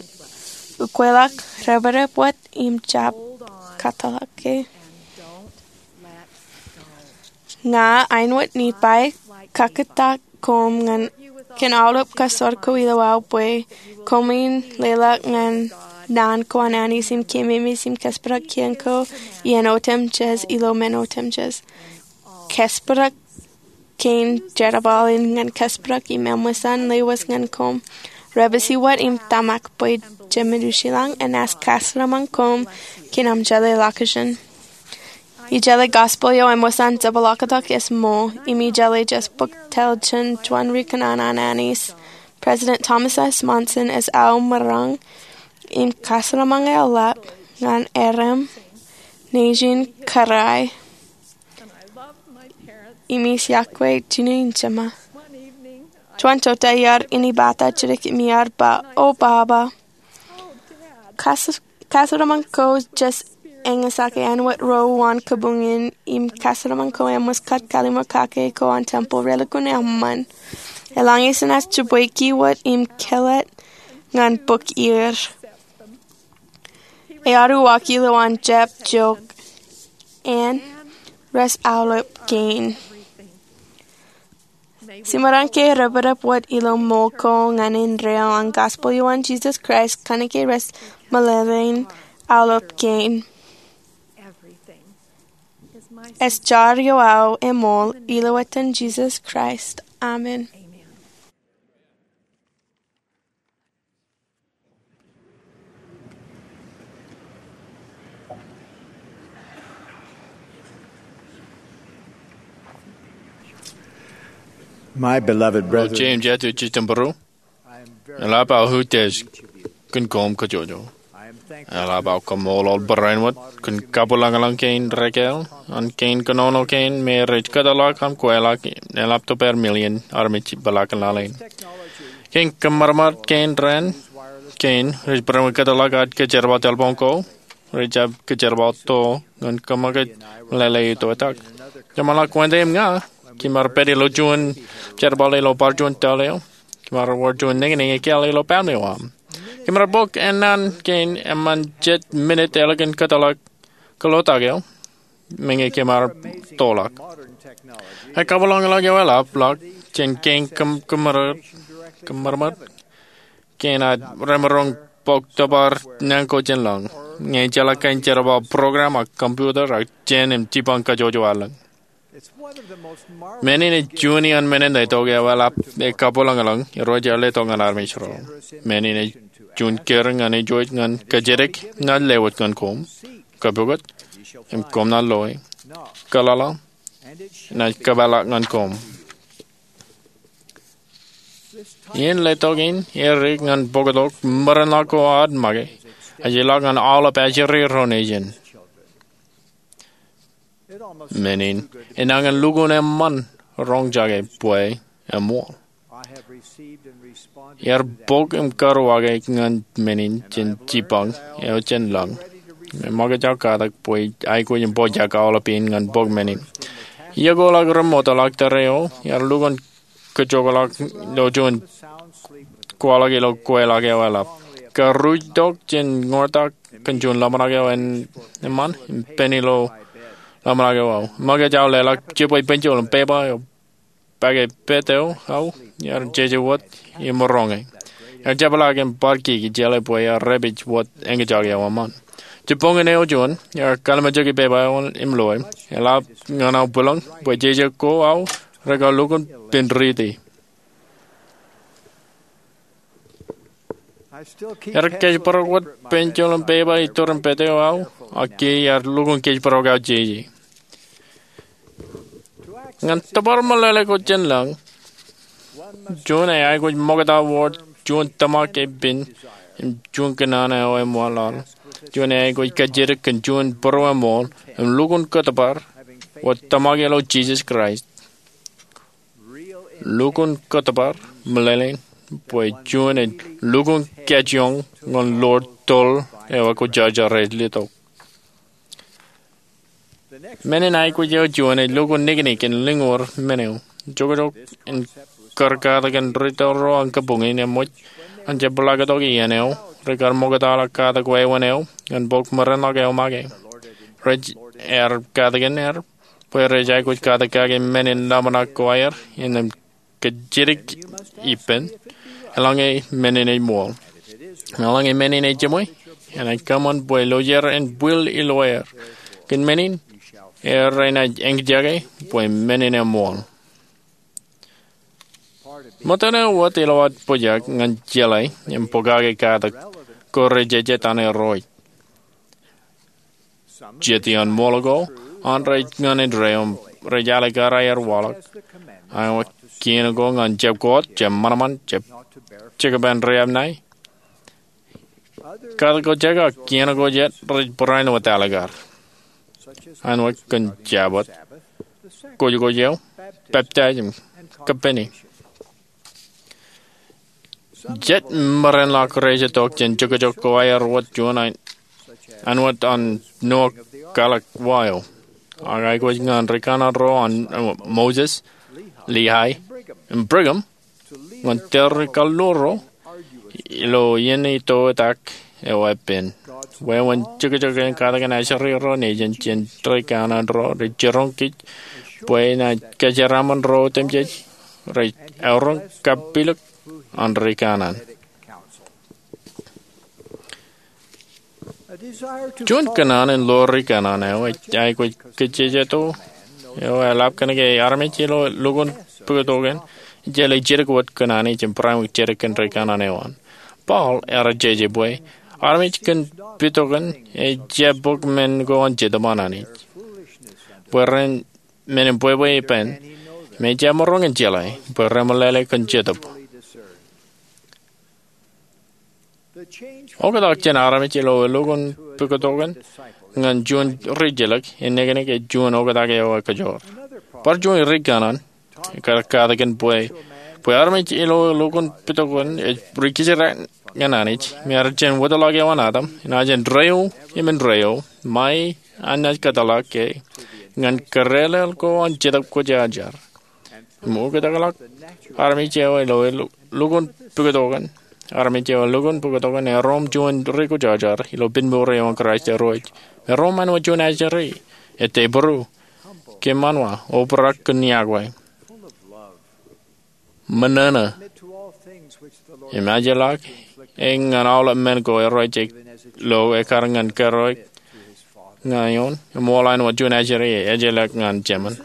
ukweḷọk, dependenwōt im jab kōtḷọk e. Ña āinwōt Nephi kakōtak koṃ ñan kōn aolep kasoor ko ilo aō bwe koṃwin leḷọk ñan naan ko an Anij im keememej im kōsperak kien ko iien otemjej ilo men otemjej. Kōsperak kein jerbal in ñan kōsperak im eṃṃan lewōj ñan koṃ. Rebisi wōt im tōmak bwe Jemedū Shilañ enaaj kasaramṃan koṃ kōn aṃ jeḷā location. Ijeḷā gospel eo eṃṃan jepḷaaktok ej ṃool, im ijeḷā jej bōk taḷ jān juon ri kōṇaan an Anij, President Thomas S. Monson ej aō maroñ im kasaramṃan eḷap ñan eram nejin kōrā. im ij iọkwe jinō in Jema. Juon jota iar inepata jidik im iar ba, O Baba, kas- kasademan ko jes eñesake āinwōt ro uwaan kabuñ in, im kasademan ko eṃṃan jet kallim̧ur kake ko an tempel relukkuun eṃṃan. Eḷaññe jenaaj jibwe kiwōt im kōḷḷā ñan bōk er. Ear uwaak ilo an jab jook, Ann rej aolep kein. Jemaroñ ke repepe wōt ilo ṃool ko ñan indeeo an gospel eo an Jesus Christ, kōnke rej meḷeḷein aolep kein. Ej jar eo aō eṃool, ilo etan Jesus Christ, amen. My beloved brethren, James, Jatu, Jitambru. Eḷap aō utiej kōn koṃ kajjojo. Eḷap aō kaṃṃoolol barāinwōt kōn kabwilōñlōñ kein rekāāl an kein kōnono kein me rej kōtḷọk im kweilọk eḷap to pād million armej ippaḷọk in laḷ in. Kein kōṃṃarṃar kein raṇ kein rej barāinwōt kōtḷọk ad kōjerbal telephone ko rej jab kōjerbal to ñan kōṃṃakūt meḷeḷe eo itoitak. Jeṃḷọk Wōnde im ña, kōm ar pād ilo juon jerbal ilo bar juon tōl eo. Kōm ar wōr juon niñniñ ekāāl ilo pād eo aṃ. Kōm ar bōk ennaan kein eṃṃan jet minit ālikin kōtḷọk kōḷotak eo, meñe kōm ar toḷọk. Ej kabwilōñlōñ eo eḷapḷọk jān kein kōṃṃarṃar, kōṃṃarṃar kein ad remaroñ bōk tōpar naan ko jān lañ, ñe jeḷā kein jerbal program ak computer ak jān im jipañ kajjojo ad lañ. Men in ej juon iaan men in letok eo eḷap ej kabwilōñlōñ irooj ej letok ñan armej ro. Men in ej juon kūr ñan ijo ej ñan kōjatdikdik im lewōj ñan koṃ. Kōpukot, im koṃ naaj loe. Kōḷaḷḷaḷ, enaaj kōpeḷḷọk ñan koṃ. Iien letok in edik ñan bōktok ṃōrōnḷọk ko ad make, ej ilọk ñan aolep ajri ro nejin. Men in enañin lukkuun eṃṃan roñjake bwe eṃool. Iar bōk im karuwake ñan men in jān jipañ eo jān lañ. Im ṃōkaj aō katak bwe aikuj in pojak aolep in ñan bōk men in. Iọkwe ḷọk remootḷọk tōre eo, iar lukkuun kōjokḷọk ilo juon kwaḷọk ilo kweilọk eo eḷap. Karuj tok jān ñoortak kōn juon ḷōmṇak eo eṃṃan im pen ilo ḷōmṇak eo aō. Ṃōkaj aō leḷọk jibwe penjol im pepa eo pake pād eo aō, iar jeje wōt im roñe. Iar jepḷaak im bar kiki jeḷā bwe ear rej pād wōt eñjake eo eṃṃan. Jibboñōn eo juon, iar kallimjeki pepa eo im loe. Eḷap ñan aō bwilōñ bwe jeje ko aō rekar lukkuun penriti. Iar kōjparok wōt penjol im pepa iturin pād eo aō, ak iar lukkuun kōjparok aō jeje. Ñan tōpar meḷeḷe ko jān lañ, juon ej aikuj ṃokta wōr juon tōmak epen im juon kōnono eo eṃṃanḷọk. Juon ej aikuj kajjitōk kōn juon būrueṃool im lukkuun kōtōpar wōt tōmak ilo Jisōs Kraist. Lukkuun kōtōpar meḷeḷein bwe juon ej lukkuun kajjioñ ñan ḷoor toḷ eo ekwojarjar ej letok. Men in aikuj eo juon ej lukkuun niknik in lōñour men eo. Jokjok in kar katak in ri tōl ro an kabuñ in eṃōj an jab ḷak tok iien eo rekar ṃoktaḷọk katak wāween eo ñan bōk ṃōrōnḷọk eo make. Rej, ear katakin er bwe rej aikuj katak kake men in ḷōmṇak ko aer innām kajjitōk ippān eḷaññe men in ej ṃool. Eḷaññe men in ej jiṃwe, enaaj kōṃṃan bwe lojer en bwil ilo aer. Kōn men in, er renaaj eñjake bwe men in eṃool. Ṃōttan eo wōt ilo ad pojak ñan jeḷā im pokake katak ko rejejet an Irooj. Jet iaan ṃool ko an rej ñan indeeo im rej alikkar aer waḷọk. Āinwōt kien ko ñan jab koot, jab ṃanṃan, jab jekpen riab ṇae. Katak ko jekōt, kien ko jet rej barāinwōt alikkar. Āinwōt kōn Jabōt, kōjkōj eo, peptaij im kappini. Jet merenḷọk rej itok jān jokjok ko aer wōt juon an wōt an nuwak kwaḷọk wa eo. Ak aikuj ñan ri kanaan ro an Moses, Lehi, im Brigham ñan tōre kaḷoor ro ilo iien eo itoitak eo epen. Wāween jokjok in katakin ajri ro nejin jān ri kanaan ro rej jiroñ kōj bwe inaaj kōjeraaṃṃan ro otemjej rej eoroñ kapilōk an ri kanaan. Juon kōṇaan in lo ri kanaan eo ej aikuj kōjjejeto eo eḷap kōn ke armej ilo lukkuun pukot ko an ejjeḷọk jidik wōt kōṇaan eo im barāinwōt jidik kōn ri kanaan eo an. Paul ear jeje bwe armej kōn pukot ko an ejjab bōk men ko an Jetōb an Anij bwe ren men in bwebwe ippān im ejjab maroñ in jeḷā bwe remeḷeḷe kōn Jetōb. Oktak jān armej ilo lukkuun pukot ko an ñan juon rijjelōk, ennekōnik ej juon oktak eo ekajoor. Bar juon ri kanaan ekar katakin bwe bwe armej ilo lukkuun pukot ko an ej ri kōjeraak ñan Anij im ear jān wōtlọk eo an Adam, enaaj jān deio im indeeo, ṃae an naaj kōtḷọk ke ñan kōrelel ko an Jetōb Kwōjarjar. Im oktakḷọk armej eo ilo lukkuun pukot ko an, armej eo lukkuun pukot ko an erom juon ri kwōjarjar ilo pād mour eo an Kraist Irooj. Erom āinwōt juon ajri, ettebōro, kōṃṃan wa, obrak kōn yokwe, ṃōṇōṇō, im ejjeḷọk e ñan aolep men ko Irooj ej lo ekkar ñan kōrā ñan eoon, im ṃool āinwōt juon ajri ej ejjeḷọk ñan Jemān.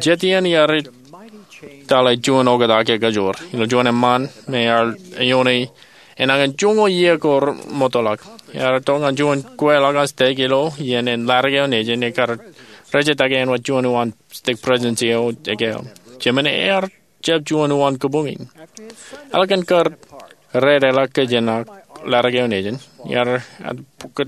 Jet iien iar itaḷe juon oktak ekajoor ilo juon eṃṃaan me ear eoon e enañin joñoul iiō ko remootḷọk. Ear itok ñan juon kweilọk an stek ilo iien in latake eo nejin ekar rejettake āinwōt juon uwaan stek presidency eo ekāāl. Jemān ear jab juon uwaan kabuñ in. Ālikin kar redeḷọk kōjenolọk latake eo nejin, ear pukot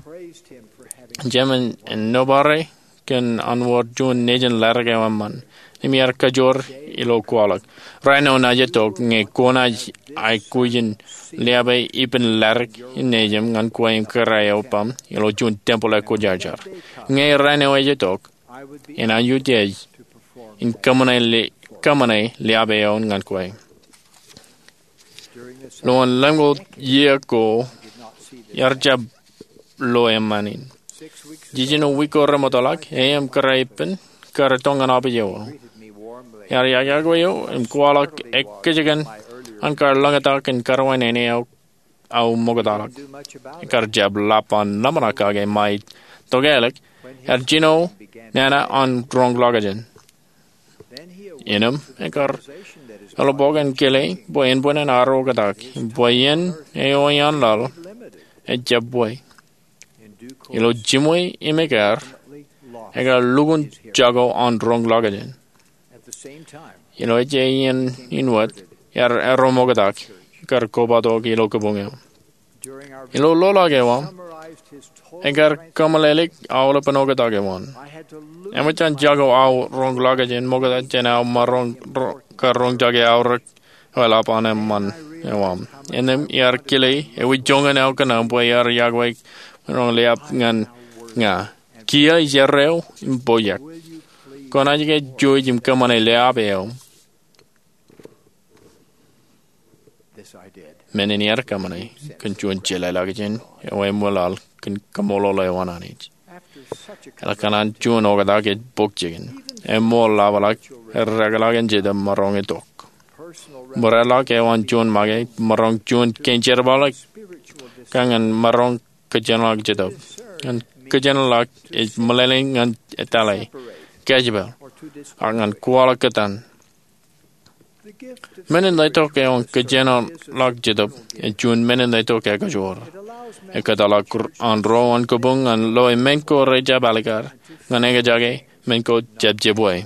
Jemān en nōbar e kōn an wōr juon nejin latake eo eṃṃan, im ear kajoor ilo kwaḷọk. Raan eo naaj itok ñe kwōnaaj aikuj in liape ippān latake nejin ñan kwe im kōrā eok ilo juon tempeḷ ekwōjarjar. Ñe raan eo ej itok, enaaj utiej in kōṃṃane liape eoon ñan kwe. Ḷọk lemñoul iiō ko, ear jab lo eṃṃan in. Jiljino wiik ko remootḷọk, e im kōrā ippān kar itok ñan opiij eo. Ear yokwe eō im kwaḷọk ekkejeken an kar lōñtak in kōrā wāween eo aō ṃoktaḷọk. Ekar jab lap an ḷōmṇak kake ṃae tokālik ear jino nana an roñḷọkjeṇ. Innām ekar eḷap bok in kile bwe eṇ bwe en ar oktak, bwe iien eo iaan laḷ ejjab bwe. Ilo jiṃwe im ekkar, ekar lukkuun jako an roñḷọkjeṇ. Ilo ej iien in wōt, ear erom oktak, ekar kobatok ilo kabuñ eo. Ilo ḷoḷḷọk eo aṃ, ekar kōmeḷeḷeik aolepān oktak eo an. Eṃōj an jako aō roñḷọkjeṇ ṃokta jān aō maroñ kar roñjake aorōk eo eḷap an eṃṃan eo aṃ. Innām iar kile ewi joñan aō kōnono bwe ear yokwe, roñ liab ñan ña. Kiiō ijerreo im pojak. Kwōnaaj ke jouj im kōṃṃane liab eo? Men in iar kōṃṃane kōn juon jeḷāḷọkjeṇ eo eṃwilaḷ kōn kaṃṃoolol eo an Anij. Eḷak kōṇaan juon oktak ej bōk jikin. Eṃṃool ḷapḷọk, eddekḷọk in Jetōb maroñ itok. Ṃōrāḷọk eo an juon make, maroñ juon kein jerbal, kōn ñan maroñ kōjenolọk Jetōb. Ñan kōjenolọk ej meḷeḷein ñan etale, kōjepel, ak ñan kwaḷọk kōtaan. Men in letok eo an kōjenolọk Jetōb ej juon men in letok ekajoor. Ekōtḷọk an ro an kabuñ ñan loe men ko rejjab alikar, ñan ekjake men ko jab jebwe.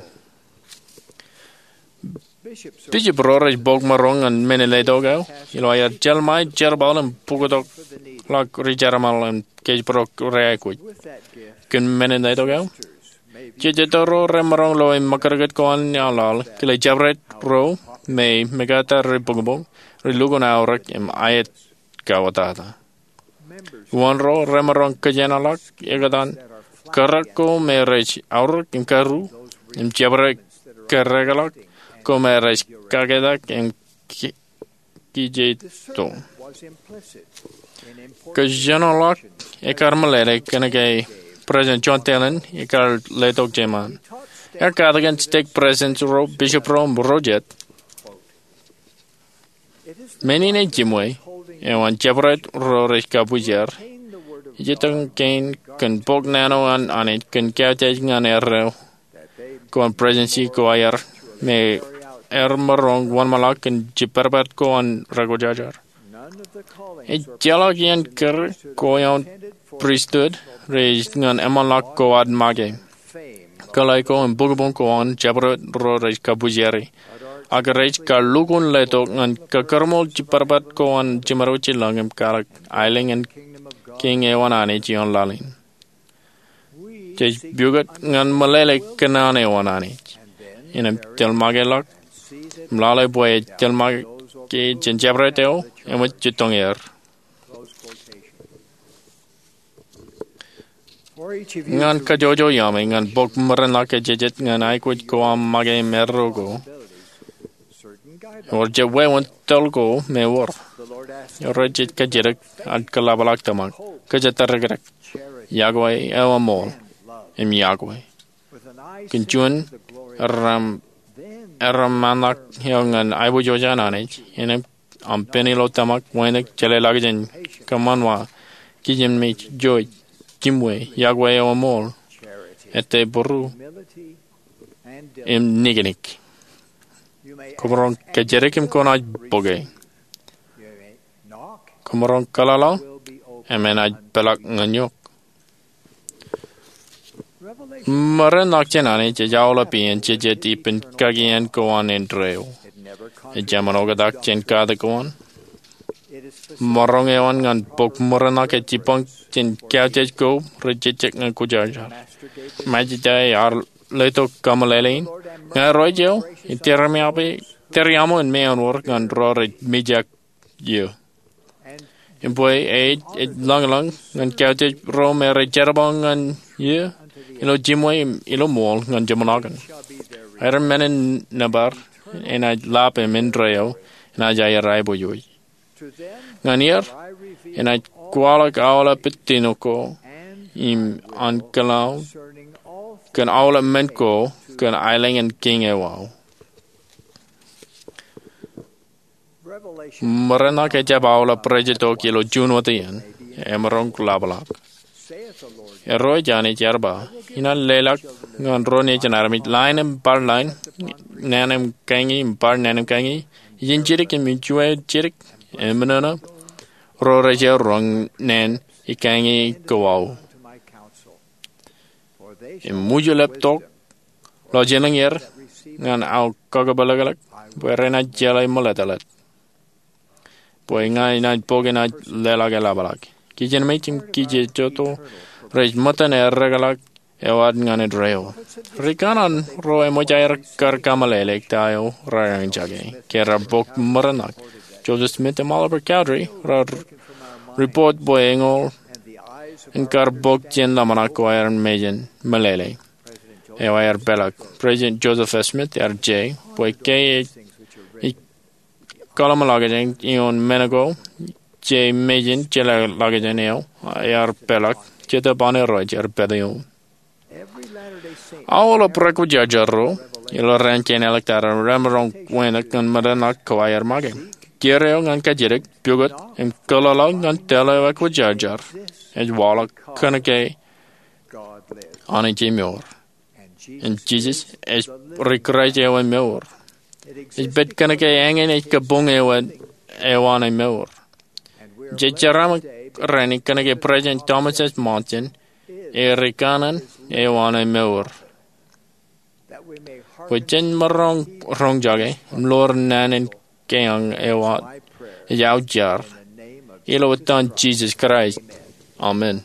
Bishop ro rej bōk maroñ ñan men in letok eo, ilo aer jelṃae jerbal im pukotḷọk ri-jerbal im kōjparok ri-aikuj kōn men in letok eo. Jejjet ro remaroñ loe ṃōkūtkūt ko an aḷaḷ kile jabdewōt ro me mekata rej bōkbōk, rej lukkuun aorōk im aet kawōtata. Uwaan ro remaroñ kōjeanḷọk ekōtaan kōrā ko me rej aorōk im karu, im jabdewōt kōrā ḷọk ko me rej kaketak im kijeito. Kōjeanḷọk ekkar meḷeḷe kōnke President John Talen ekkar letok jeṃaan. Ear katakin stek presidents ro, bishop ro, im ro jet, men in ej jiṃwe eo an jabdewōt ro rej kabwijer ej itok kein kōn bōk naan eo an Anij kōn kautiej ñan erreo ko an presidency ko aer me remaroñ wōnṃaanḷọk kōn jibadbad ko an rekwōjarjar. Ejjeḷọk iien kōrā ko eo an pristut rej ñan eṃṃanḷọk ko ad make. Kōḷḷā ko im bōkbōk ko an jabdewōt ro rej kabwijeri, ak rej kar lukkuun letok ñan kakūrmool jibadbad ko an jiṃor wōt jilañ im kwaḷọk aelōñ in Kiiñ eo an Anij ioon laḷ in. Jej pukot ñan meḷeḷe kōnono eo an Anij, innām tōl make ḷọk im lale bwe ej tōl make jān jabdewōt eo eṃōj jitōñ er. Ñan kajjojo iaami ñan bōk ṃōrōnḷọk ejejjet ñan aikuj ko aṃ make im erreo ko, ewōr jet wāween tōl ko me wōr. Eo rej kajjitōk ad kōḷapḷọk tōmak, kōjatdikdik, iọkwe eo eṃool, im iọkwe kōn juon erreo ṃōṇōṇō eo ñan aiboojoj an Anij, innām aṃ pen ilo tōmak, wānōk, jeḷāḷọkjeṇ, kōṃanṃan, kijenmej, jouj, jiṃwe, iọkwe eo eṃool, etteburu, im niknik. Koṃaroñ kajjitōk im kwōnaaj bōke. Koṃaroñ kōḷaḷḷaḷ im enaaj peḷọk ñan eok. Ṃōrōnḷọk jān Anij ej aolep iien jejjet ippān kakien ko an indeeo. Ejāmin oktak jān katak ko an. Maroñ eo an ñan bōk ṃōrōnḷọk ej jibboñ jān kautiej ko rej jejjet ñan kwōjarjar. Ṃajeḷ ear letok kameḷeḷein, ña Irooj eo, ij tōre ṃōṇōṇō in meanwōr ñan ro rej mijak eō. Im bwe ej, ej lañlōñ ñan kautiej ro me rej jerbal ñan eō ilo jiṃwe im ilo ṃool ñan jeṃḷọkin. Aer men in nōbar enaaj lap im indeeo enaaj aer aiboojoj. Ñan er enaaj kwaḷọk aolep itino ko im ankōḷaḷ kōn aolep men ko kōn aelōñ in Kiiñ eo aō. Ṃōrōnḷọk ejjab aolep rej itok ilo juon wōt iien, emaroñ ḷapḷọk. Irooj Anij ear ba, inaaj leḷọk ñan ro nejin armej ḷain im bar ḷain, naan im kañi im bar naan im kañi, ijin jidik im ijuwain jidik, im ṃōṇōṇō, ro rej roñ naan ikañi ko aō. Im ṃwijlep tok ḷọk jān er ñan aō kakōpeḷḷọk bwe renaaj jeḷā ṃōḷeḷḷọk. Bwe ña inaaj bōk enaaj leḷọk eḷapḷọk. Kijenmej im kijejeto rej ṃōttan errōkḷọk eo ad ñan indeeo. Ri kanaan ro eṃōj aer kar kameḷeḷe ta eo raar eñjake ke raar bōk ṃōrōnḷọk. Joseph Smith im Oliver Cowdery raar ripot bwe eñoul in kar bōk jān ḷōmṇak ko aer mejān meḷeḷe eo aer peḷọk. President Joseph F. Smith ear je bwe ke ej kōḷmānḷọkjeṇ ioon men ko je mejān jeḷāḷọkjeṇ eo ear peḷọk, Jetōb an Irooj ear pād ioon. Aolep ri kwōjarjar ro ilo raan kein āliktata remaroñ wānōk ñan ṃōrōnḷọk ko aer make. Kiiō eo ñan kajjitōk, pukot, im kōḷaḷḷaḷ ñan tōl eo ekwōjarjar ej waḷọk kōnke Anij emour. Im Jisōs ej ri Kraist eo emour. Ej pād kōnke eñin ej kabuñ eo an emour. Jej jeraaṃṃan rainin kōnke President Thomas S. Monson ej ri kanaan eo an emour. Bwe jen maroñ roñjake im ḷoor naan in keañ eo aō jar, ilo etan Jisōs Kraist, amen.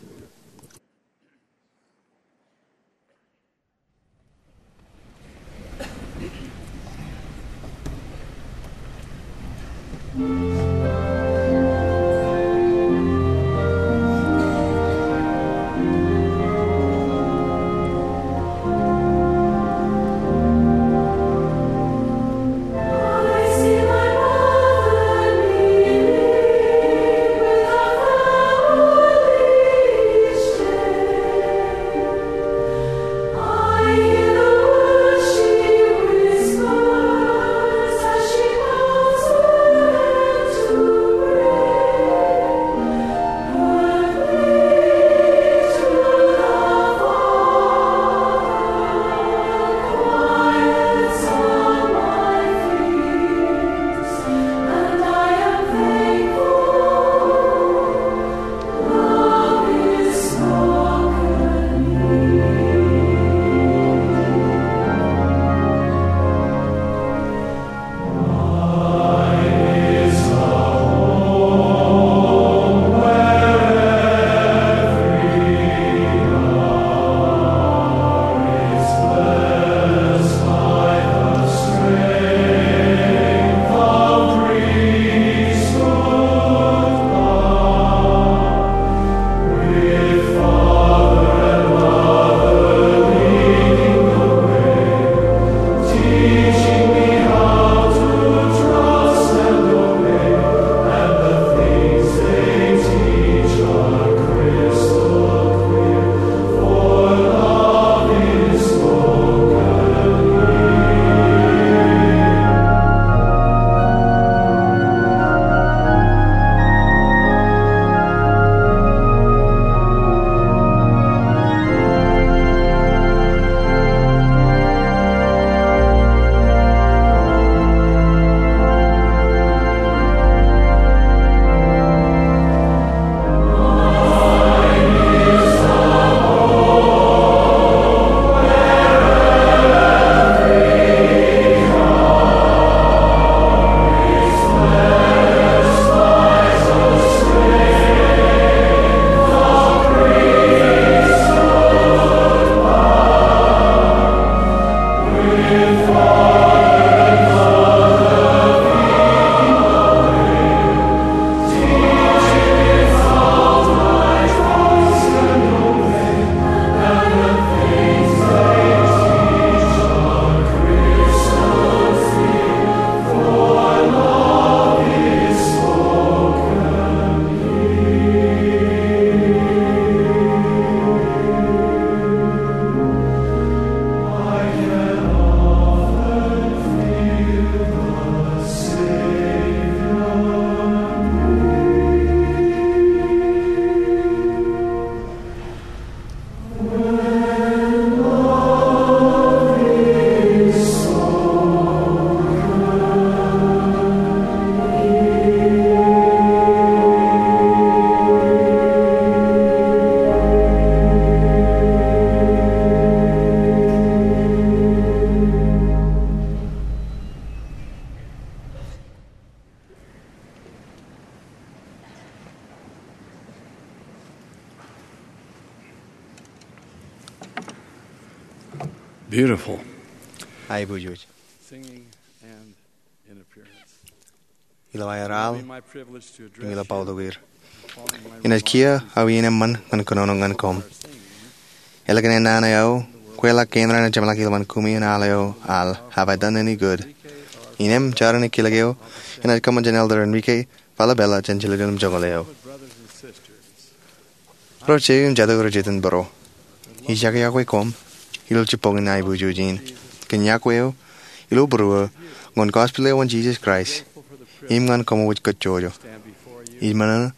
Beautiful. Aiboojoj. Singing and in appearance. Ilo aer al, im ilo bōktok er. Inaaj kiiō aō iien eṃṃan ñan kōnono ñan koṃ. Ālikin ennaan eo aō, kweilọk kein raṇ ej jeṃḷọk ilowaan kumi in al eo al Have I Done Any Good? Innām jar in kilōk eo enaaj kōṃṃan jān Elder Enrique Falabella jān jiljilimjuonñoul eo. Ro jeiū im jatū ro jitōnbōro, ij iọkwe koṃ ilo jibboñin aiboojoj in kōn iọkwe eo ilo būruō ñan gospel eo an Jisōs Kraist im ñan koṃwōj kōjjojo. Ij ṃōṇōṇō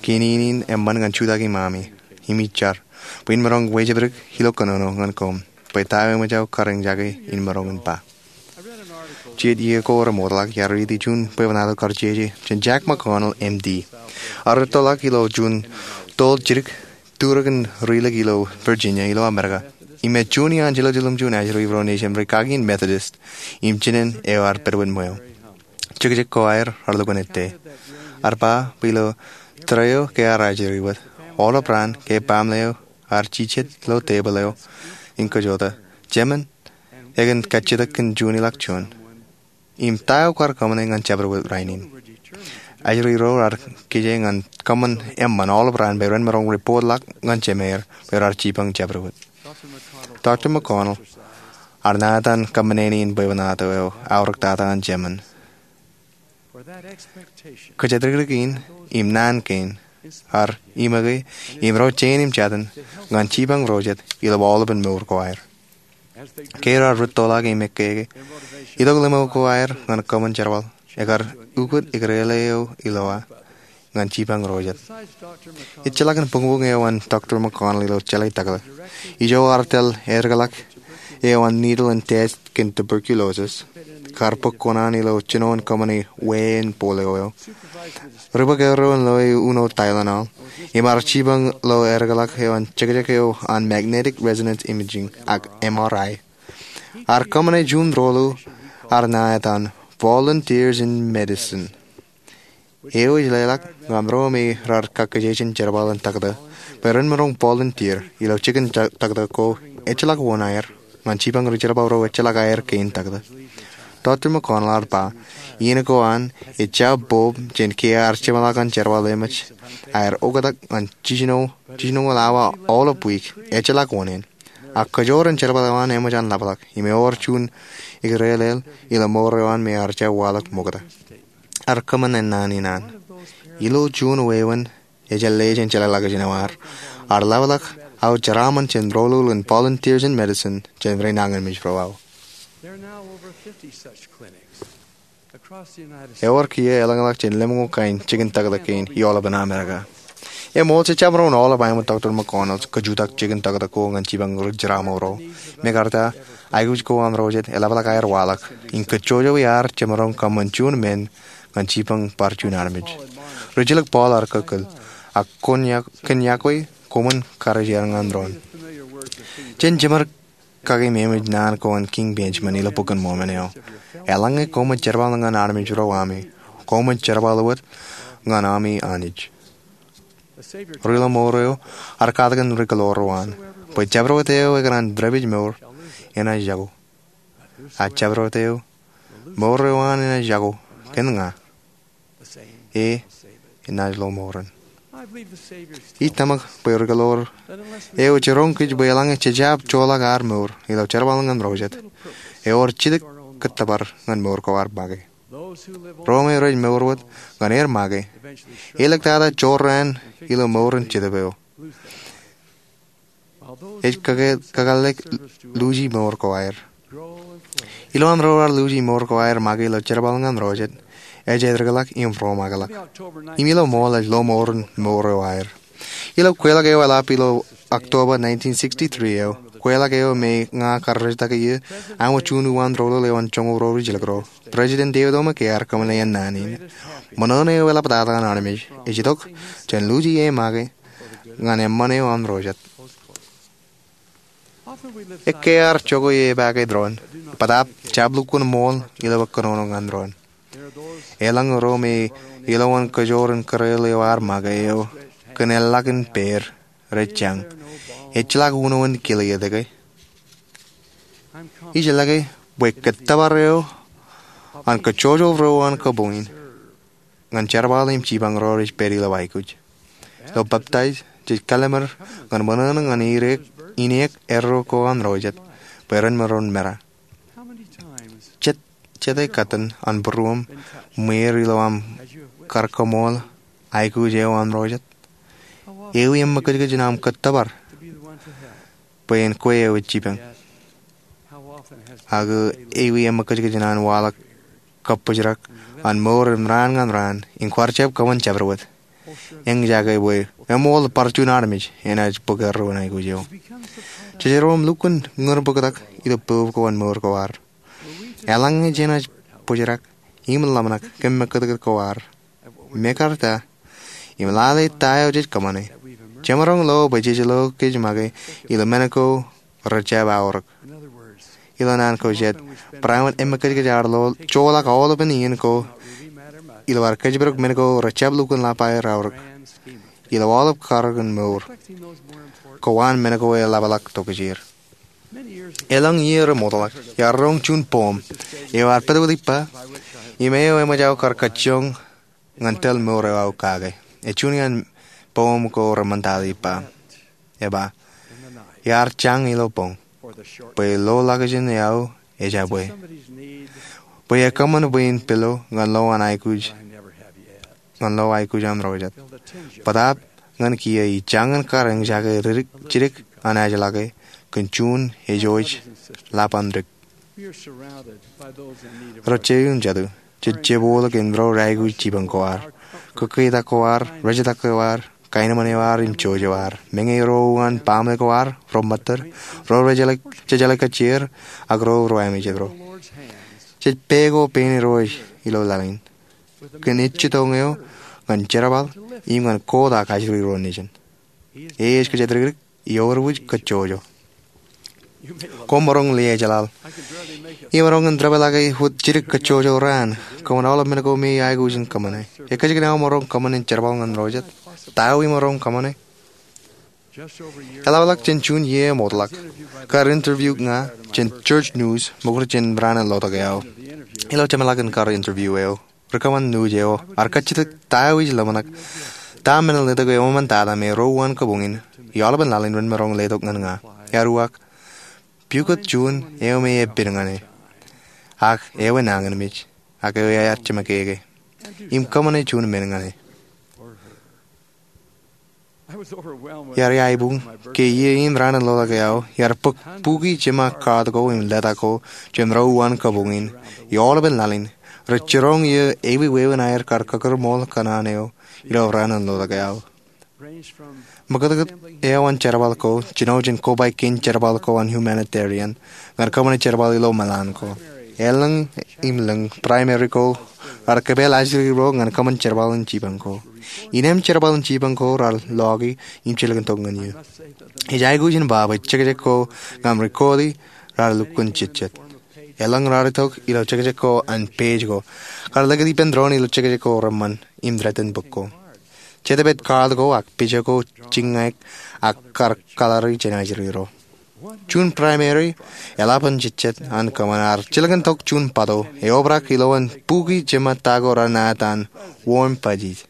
kein in eṃṃan ñan jutak iṃaami im ij jar bwe in maroñ wejepdik ilo kōnono ñan koṃ bwe ta eo eṃōj aō kariñjake in maroñ in ba. Jijet iiō ko remootḷọk iar riiti juon bwebwenato kar jeje jān Jack McConnell, M.D. Ear rūttoḷọk ilo juon toḷ jidik turōk in rilik ilo Virginia ilo Amerika im ej juon iaan jiljilimjuon ajri ro nejūṃ rikaki in Methodist im jinen eo ear pedwet ṃweo. Jekjek ko aer ear lukkuun ettā. Ear ba bwe ilo tōre eo ke ear ajri wōt, aolep raan ke baaṃle eo ear jijet ilo tebōḷ eo in kōjota, jemān ekōn kajjitōk kōn juon ilọk juon im ta eo kwaar kōṃṃane ñan jabdewōt rainin. Ajri ro ear kije ñan kōṃṃan eṃṃan aolep raan bwe ren maroñ ripootḷọk ñan jemeir bwe raar jipañ jabdewōt. Doctor McConnell ear ṇa etan kōṃṃane in bwebwenato eo aorōktata an jemān. Kōjatdikdik in im naan kein ear iṃōke im ro jein im jatin ñan jipañ ro jet ilo aolepān mour ko aer. Ke ear rūttoḷọk im ekkeke, itok limo ko aer ñan kōṃṃan jerbal ekar ukōt ikrele eo ilowa ñan jipañ ro jet. Ejjeḷọk in buñbuñ eo an Doctor McConnell ilo jeḷā takōḷọk. Ijo ear tōl erkeḷọk eo an needle in test kōn tuberculosis, kar bōk kuṇaan ilo jinoin kōṃṃane wāween polio eo, ri bōk erro in loe uno Tylenol, im ear jipañ ilo erkeḷọk eo an jekjek eo an magnetic resonance imaging ak M R I. Ear kōṃṃane juon rōḷḷu ear ṇa etan Volunteers in Medicine. Eo ej leḷọk ñan ro me raar kakkije jān jerbal in taktō bwe ren maroñ volunteer ilo jikin taktō ko ejjeḷọk wōn aer ñan jipañ ri jerbal ro ejjeḷọk aer kein taktō. Doctor McConnell ear ba, iien ko an ejjab bōb jān ke ear jeṃḷọk an jerbal emōj aer oktak ñan jiljinoñoul awa aolep wiik, ejjeḷọk wōn in. Ak kōjoor in jerbal eo an eṃōj an ḷapḷọk im ewōr juon ikrelel ilo mour eo an me ear jab waḷọk ṃokta. Ear kōṃṃan ennaan in an. Ilo juon wāween ejjeḷọk jān jeḷāḷọkjeṇ eo an, ear ḷapḷọk aō jeraaṃṃan jān rōḷḷu in Volunteers in Medicine jān ri nañinmej ro aō. Ewōr kiiō elōñḷọk jān lemñoul kain jikin taktō kein ioḷapān Amerika. Eṃool, jejjab maroñ aolep aemon Doctor McConnell kōjutak jikin taktō ko ñan jipañ ri jeraaṃṃan ro. Mekarta, aikuj ko an ro jet eḷapḷọk aer waḷọk im kōjjojo iar jemaroñ kōṃṃan juon men ñan jipañ bar juon armej. Rijjilōk Paul ear kōkkōl, ak kōn iọkwe koṃwin karijerañ ñan doon. Jen jeṃar kake meṃōj naan ko an King Benjamin ilo Bok in Mormon eo. Eḷaññe koṃij jerbal ñan armej ro ami, koṃij jerbal wōt ñan ami Anij. Ri ḷōṃour eo ear katakin ri kōḷoor ro an bwe jabdewōt eo ekōṇaan dāpij mour enaaj jako. Ak jabdewōt eo mour eo an enaaj jako kōn ña, e enaaj ḷōṃour in. Ij tōmak bwe ri kōḷoor eo jiroñ kōj bwe eḷaññe jej jab joḷọk ad mour ilo jerbal ñan ro jet, ewōr jidik kōttōpar ñan mour ko ad make. Ro me rej mour wōt ñan er make, āliktata jorrāān ilo mour in jetōb eo. Ej kakālōk luuji mour ko aer. Ilo an ro raar luuji mour ko aer make ilo jerbal ñan ro jet, ej edikḷọk im romaakḷọk. Im ilo ṃool ej ḷōṃour in mour eo aer. Ilo kweilọk eo eḷap ilo October nineteen sixty-three eo, kweilọk eo me ña kar rejtak iiō, aṃ juon uwaan rōḷḷōḷ eo an joñoul ro rijjilōk ro, President David O. McKay ear kōmeḷeḷe naan in. Ṃōṇōṇō eo eḷaptata an armej ej itok jān luuji e make ñan eṃṃan eo an ro jet. Ekkā ear jokwe epaake doon, bōtaab jab lukkuun ṃool ilo bwe kōnono ñan doon. Eḷaññe ro me ilowaan kōjoor in kōreel eo ad make eo kōn eḷḷọk in pād rej jañ, ejjeḷọk uno in kile etke. Ij lōke bwe kōttōpar eo an kōjjojo ro uwaan kabuñ in ñan jerbal im jipañ ro rej pād ilo aikuj. Ilo baptaiz, jej kallimur ñan ṃōṇōṇō ñan ineek erro ko an ro jet bwe ren maroñ mera. Jet, jete katten an būruōṃ ṃweer ilo aṃ kar kaṃool aikuj eo an ro jet? Ewi eṃṃakūtkūt in aṃ kōttōpar bwe en kwe eo ej jipañ? Ak ewi eṃṃakūtkūt in an waḷọk kabbōjrak an mour im raan ñan raan im kwaar jab kōṃṃan jabdewōt? Eñjake bwe eṃool bar juon armej enaaj bōk erro in aikuj eo. Jejeroṃ lukkuun ñūrbōktak ilo poub ko an mour ko ad. Eḷaññe jenaaj bōjrak im ḷōmṇak kōn eṃṃakūtkūt ko ad, mekarta im lale ta eo jej kōṃṃane, jemaroñ lo bwe jej lo kōj make ilo men ko rejjab aorōk. Ilo naan ko jet, barāinwōt eṃṃakūtkūt ad joḷọk aolepen iien ko ilo ad kōjparok men ko rejjab lukkuun lap aer aorōk ilo aolep karōk in mour ko an men ko eḷapḷọk tokjāer. Elōñ iiō remootḷọk, iar roñ juon poem eo ear pād wōt ippa im eo eṃōj aō kar kajjioñ ñan tōl mour eo aō kake. Ej juon iaan poem ko reṃōn tata ippa. Eba, iar jañ ilo boñ, bwe lo lakjān eo aō ejabwe, bwe ekōṃṃan bwe in pilo ñan lo an aikuj, ñan lo aikuj an ro jet. Bōtaab ñan kiiō ij jañin kar eñjake jidik an ajlake kōn juon ej wōj lap an dik. Ro jeiū im jatū, jej jebwolōk in ro aikuj jipañ ko ad, kōkketak ko ad, rejetak ko ad, kaenōṃṃan eo ad im jouj eo ad, meñe ro uwaan baaṃle ko ad, ro ṃōttad, ro jejeḷā kajjieer, ak ro ro amejet ro. Jej pād ko pein Irooj ilo laḷ in kōn ejjitōñ eo ñan jerbal im ñan kotak ajri ro nejin. E ej kōjatdikdik im ewōr wōj kōjjojo. Koṃ maroñ leḷọk jeḷāḷ. Imaroñ in dāpḷọk wōt jidik kōjjojo raan. Kōṃṃan aolep men ko me aikuj in kōṃṃane. Ekōjkan aō maroñ kōṃṃan in jerbal ñan ro jet? Ta eo imaroñ kōṃṃane? Eḷapḷọk jān juon iiō eṃootḷọk, kar interview ña jān Church News, ṃokta jān raan in lotok eo aō. Ilo jeṃḷọkin kar interview eo, ri kōṃṃan news eo ear kajjitōk ta eo ij ḷōmṇak, ta men in letok eo eṃṃan tata me ro uwaan kabuñ in im aolepen laḷ in ren maroñ letok ñan ña. Ear uwaak, pukot juon eo me epen ñan e, ak eo enañinmej, ak eo ear jeṃakeke, im kōṃṃane juon men ñan e. Iar iaibuñ ke iiō in raan in lotok eo aō, iar bōk buki jeṃa kaat ko im leta ko jān ro uwaan kabuñ in im aolepen laḷ in, rej jiroñ iiō ewi wāween aer kar kakūrṃool kōṇaan eo ilo raan in lotok eo aō. Ṃōkātkāt eo an jerbal ko jino jān kobaik kein jerbal ko an humanitarian ñan kōṃṃane jerbal ilo meḷan ko. Elōñ im lōñ primary ko raar kōpeḷ ajri ro ñan kōṃṃan jerbal in jipañ ko. Innām jerbal in jipañ ko raar loki im jilkintok ñan iiō. Ej aikuj in ba bwe jekjek ko ña im record e raar lukkuun jejjet. Elōñ raar itok ilo jekjek ko an page ko. Kar likūt ippān doon ilo jekjek ko reṃṃan im threaten bōk ko. Jetōb ej kaat ko ak picture ko jiññaik ak kar kalari jān ajri ro. Juon primary eḷap an jejjet an kōṃṃan ear jilkintok juon bato eobrak ilowaan buki jeṃa ta ko raar ṇa etan warm fuzzies.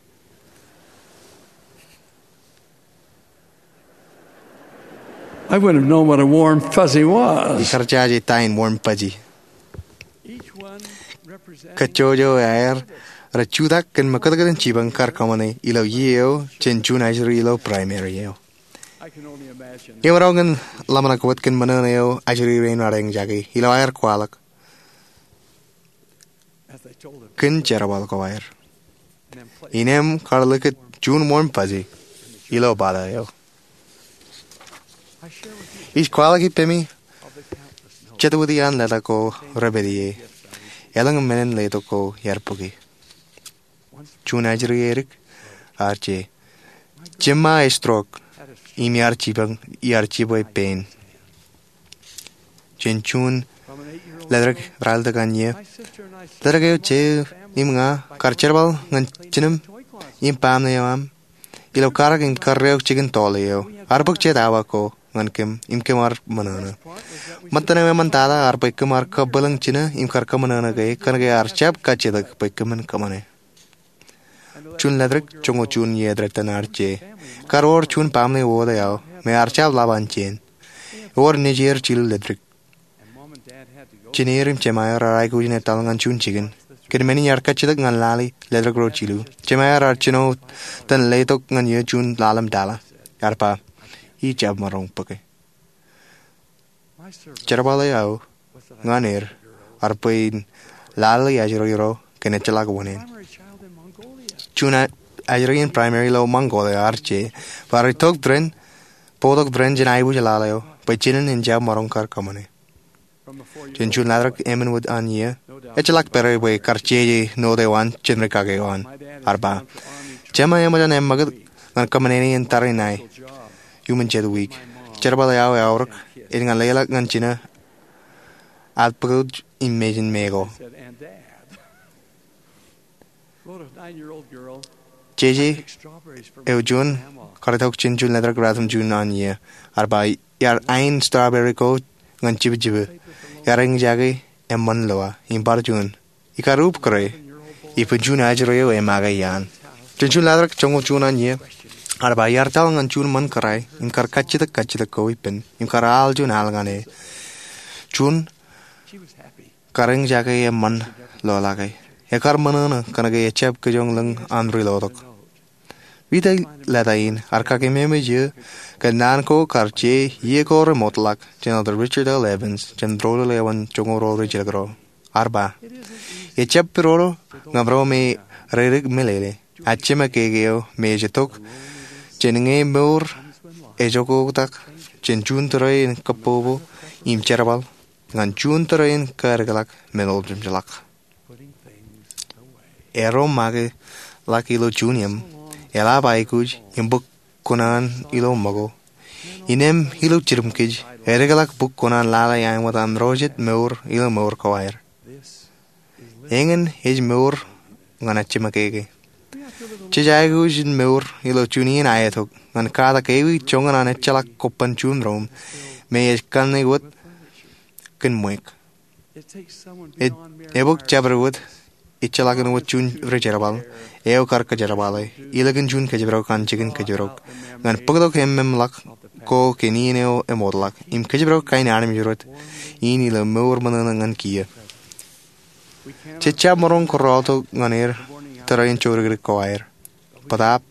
I wouldn't have known what a warm fuzzy was. Ikar jaje ta in warm fuzzy. Kōjjojo aer rej jutak kōn ṃōkātkāt in jipañ kar kōṃṃane ilo iiō eo jān juon ajri ilo primary eo. Imaroñ in ḷōmṇak wōt kōn ṃōṇōṇō eo ajri rein raar eñjake ilo aer kwaḷọk kōn jerbal ko aer. Innām kar likūt juon warm fuzzy ilo bato eo. Ij kwaḷọk ippemi jet wōt iaan leta ko repād ie. Elōñ men in letok ko iar bōke. Juon ajri edik ear je. Jeṃa ej stroke im iar jibwe, iar jibwe pein. Jān juon ledik raar ilọk an iiō, ledik eo je im ña kar jerbal ñan jinōm im baaṃle eo aṃ ilo karōk in karreoik jikin tọọle eo. Ear bōk jet awa ko ñan kōm im kōm ar ṃōṇōṇō. Ṃōttan eo eṃṃantata ear bwe kōm ar kabwilōñ jino im kar kōṃōṇōṇō ke kōnke ear jab kajjitōk bwe kōmin kōṃṃane. Juon ḷetrik joñoul juon iiō etaṃ ear je. Ekar wōr juon baaṃle wōt eo me ear jab ḷap an jen. Ewōr nejier jilu ḷetrik. Jiner im jemāer ear aikuj in etal ñan juon jikin. Kōn men in ear kajjitōk ñan lale ḷetrik ro jilu, jemāer ear jino tōn letok ñan eō juon ḷalem tala. Ear ba, "Ij jab maroñ bōke." Jerbal eo aō ñan er ear bwe in lale ajri ro kōn ejjeḷọk wōṇāān. Juon ajri in primary ilo Mongolia ear je bwe ear itok tōre in, bōktok tōre in jān aikuj lale eo bwe jinen en jab maroñ kar kōṃṃane. Jān juon ḷetrik emān wōt an iiō, ejjeḷọk pād bwe kar jeje note eo an jān rikaki eo an. Ear ba, "Jema eṃōj an eṃṃakūt ñan kōṃṃane in tariṇae iuṃwin jet wiik. Jerbal eo aō eaorōk, ej ñan leḷọk ñan jino ad bōktok im mejān me ko." Jeje eo juon kar itok jān juon ḷetrik ratimjuon an iiō. Ear ba, "Iar ain strawberry ko ñan jibjibe. Iar eñjake eṃṃan loa im bar juon. Ikar ubōk re, ippān juon ajri eo emake iaan." Jān juon ḷetrik joñoul juon an iiō, ear ba, "Iar taḷ ñan juon ṃōn kōrā im kar kajjitōk kajjitōk ko ippān im kar al juon al ñan e. Juon kar eñjake eṃṃan loḷọke. Ekar ṃōṇōṇō kōnke ejab kijoñ lōñ an rilotok." Ri-tōl leta in ear kakememej eō ke naan ko kar je iiō ko remootḷọk jān Elder Richard L. Evans jān Rōlul eo an Joñoul Ro Rijjilōk ro. Ear ba, "Ejab pidodo ñan ro me reidik meḷeḷe, ak jema keke eo me ej itok jān ñe mour ej oktak jān juon tōre in kōbbobo im jerbal ñan juon tōre in kaedikḷọk men oljimjeḷọk." Ro make ḷọk ilo juon eṃ, eḷap aikuj im bōk kuṇaan ilo ṃōko. Innem ilo jidim kōj, edikḷọk bōk kuṇaan lale āinwōt an ro jet mour ilo mour ko aer. Eñin ej mour ñan ejjeṃōkeke. Jej aikuj in mour ilo juon iien aetok ñan katak ewi joñan an ejjeḷọk kobban juon room me ej kanne wōt kōn ṃweiuk. Ej, ebōk jabdewōt ejjeḷọk in wōt juon rijerbal eo kar kōjerbale ilikin juon kōjparok an jikin kōjparok ñan bōktok ememḷọk ko kōn iien eo emootḷọk im kōjparok kain armej rot in ilo mour ṃōṇōṇō ñan kiiō. Jej jab maroñ kōrọọltok ñan er tōre in jodikdik ko aer. Bōtaab,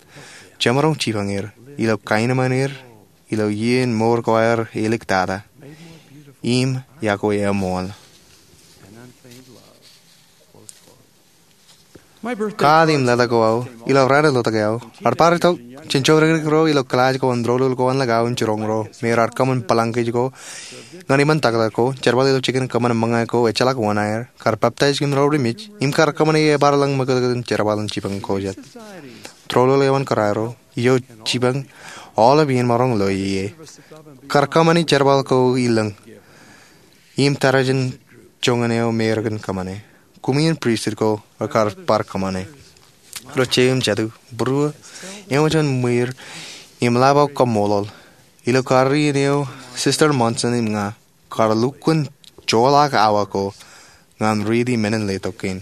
jemaroñ jipañ er ilo kaenōṃṃan er ilo iien mour ko aer eliktata im yokwe eṃool. Kaat im ḷetak ko aō ilo raan in lotok eo ear bar itok jān jodikdik ro ilo kilaaj ko an Rōlul ko an Ḷōḷ ko an Ḷōḷ im jiroñ ro me raar kōṃṃan bōlañ kōj ko ñan iṃaan taktak ko, jerbal ilo jikin kōṃṃan ṃōñā ko ejjeḷọk wōṇāer, kar peptaij kōn ro ri mej im kar kōṃṃane ebar lōñ ṃōkōtōk in jerbal in jipañ ko jet. Rōlul eo an kōrā ro eo jipañ aolep iien maroñ loe ie. Kar kōṃṃane jerbal ko ilōñ im tarijen joñan eo me rekōn kōṃṃane. Koṃwin pristut ko rekar bar kōṃṃane. Ro jeiū im jatū, būruō, eṃōj an ṃwiir im ḷap aō kaṃṃoolol ilo karreoin eo Sister Monson im ña kar lukkuun joḷọk awa ko ñan riiti men in letok kein.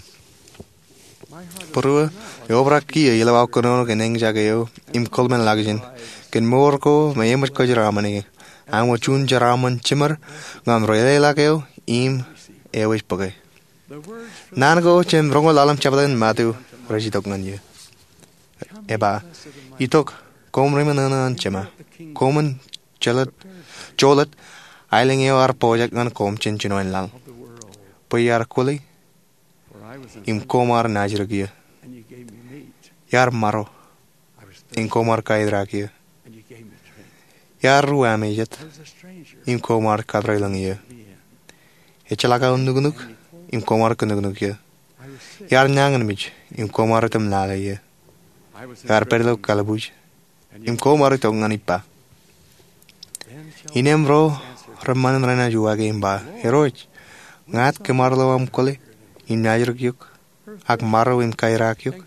Būruō, eobrak kiiō ilo aō kōnono kōn eñjake eo im kōḷmānḷọkjeṇ kōn mour ko me eṃōj kōjeraaṃṃan ie. Aṃ wōt juon jeraaṃṃan jiṃor ñan ri-leḷọk eo im eo ej bōke. Naan ko jān roñoul ḷalem jebta in Matu rej itok ñan eō. Ej ba, "Itok, koṃ ri-ṃōṇōṇō an Jema. Koṃwin jolōt, jolōt aelōñ eo ear pojak ñan koṃ jān jinoin laḷ. Bwe iar kwōle, im koṃ ar naajdik eō. Iar maro, im koṃ ar kaeraak eō. Iar ruwamejet, im koṃ ar katrelōñ eō. Ejjeḷọk aō nuknuk, im koṃ ar kōnuknuk eō. Iar nañinmej, im koṃ ar itok im lale eō. Iar pād ilo kalbuuj, im koṃ ar itok ñan ippa." Innem ro reṃṃan renaaj uwaake im ba, "Irooj, ñāāt kōm ar lo aṃ kwōle im naajdik eok, ak maro im kaeraak eok?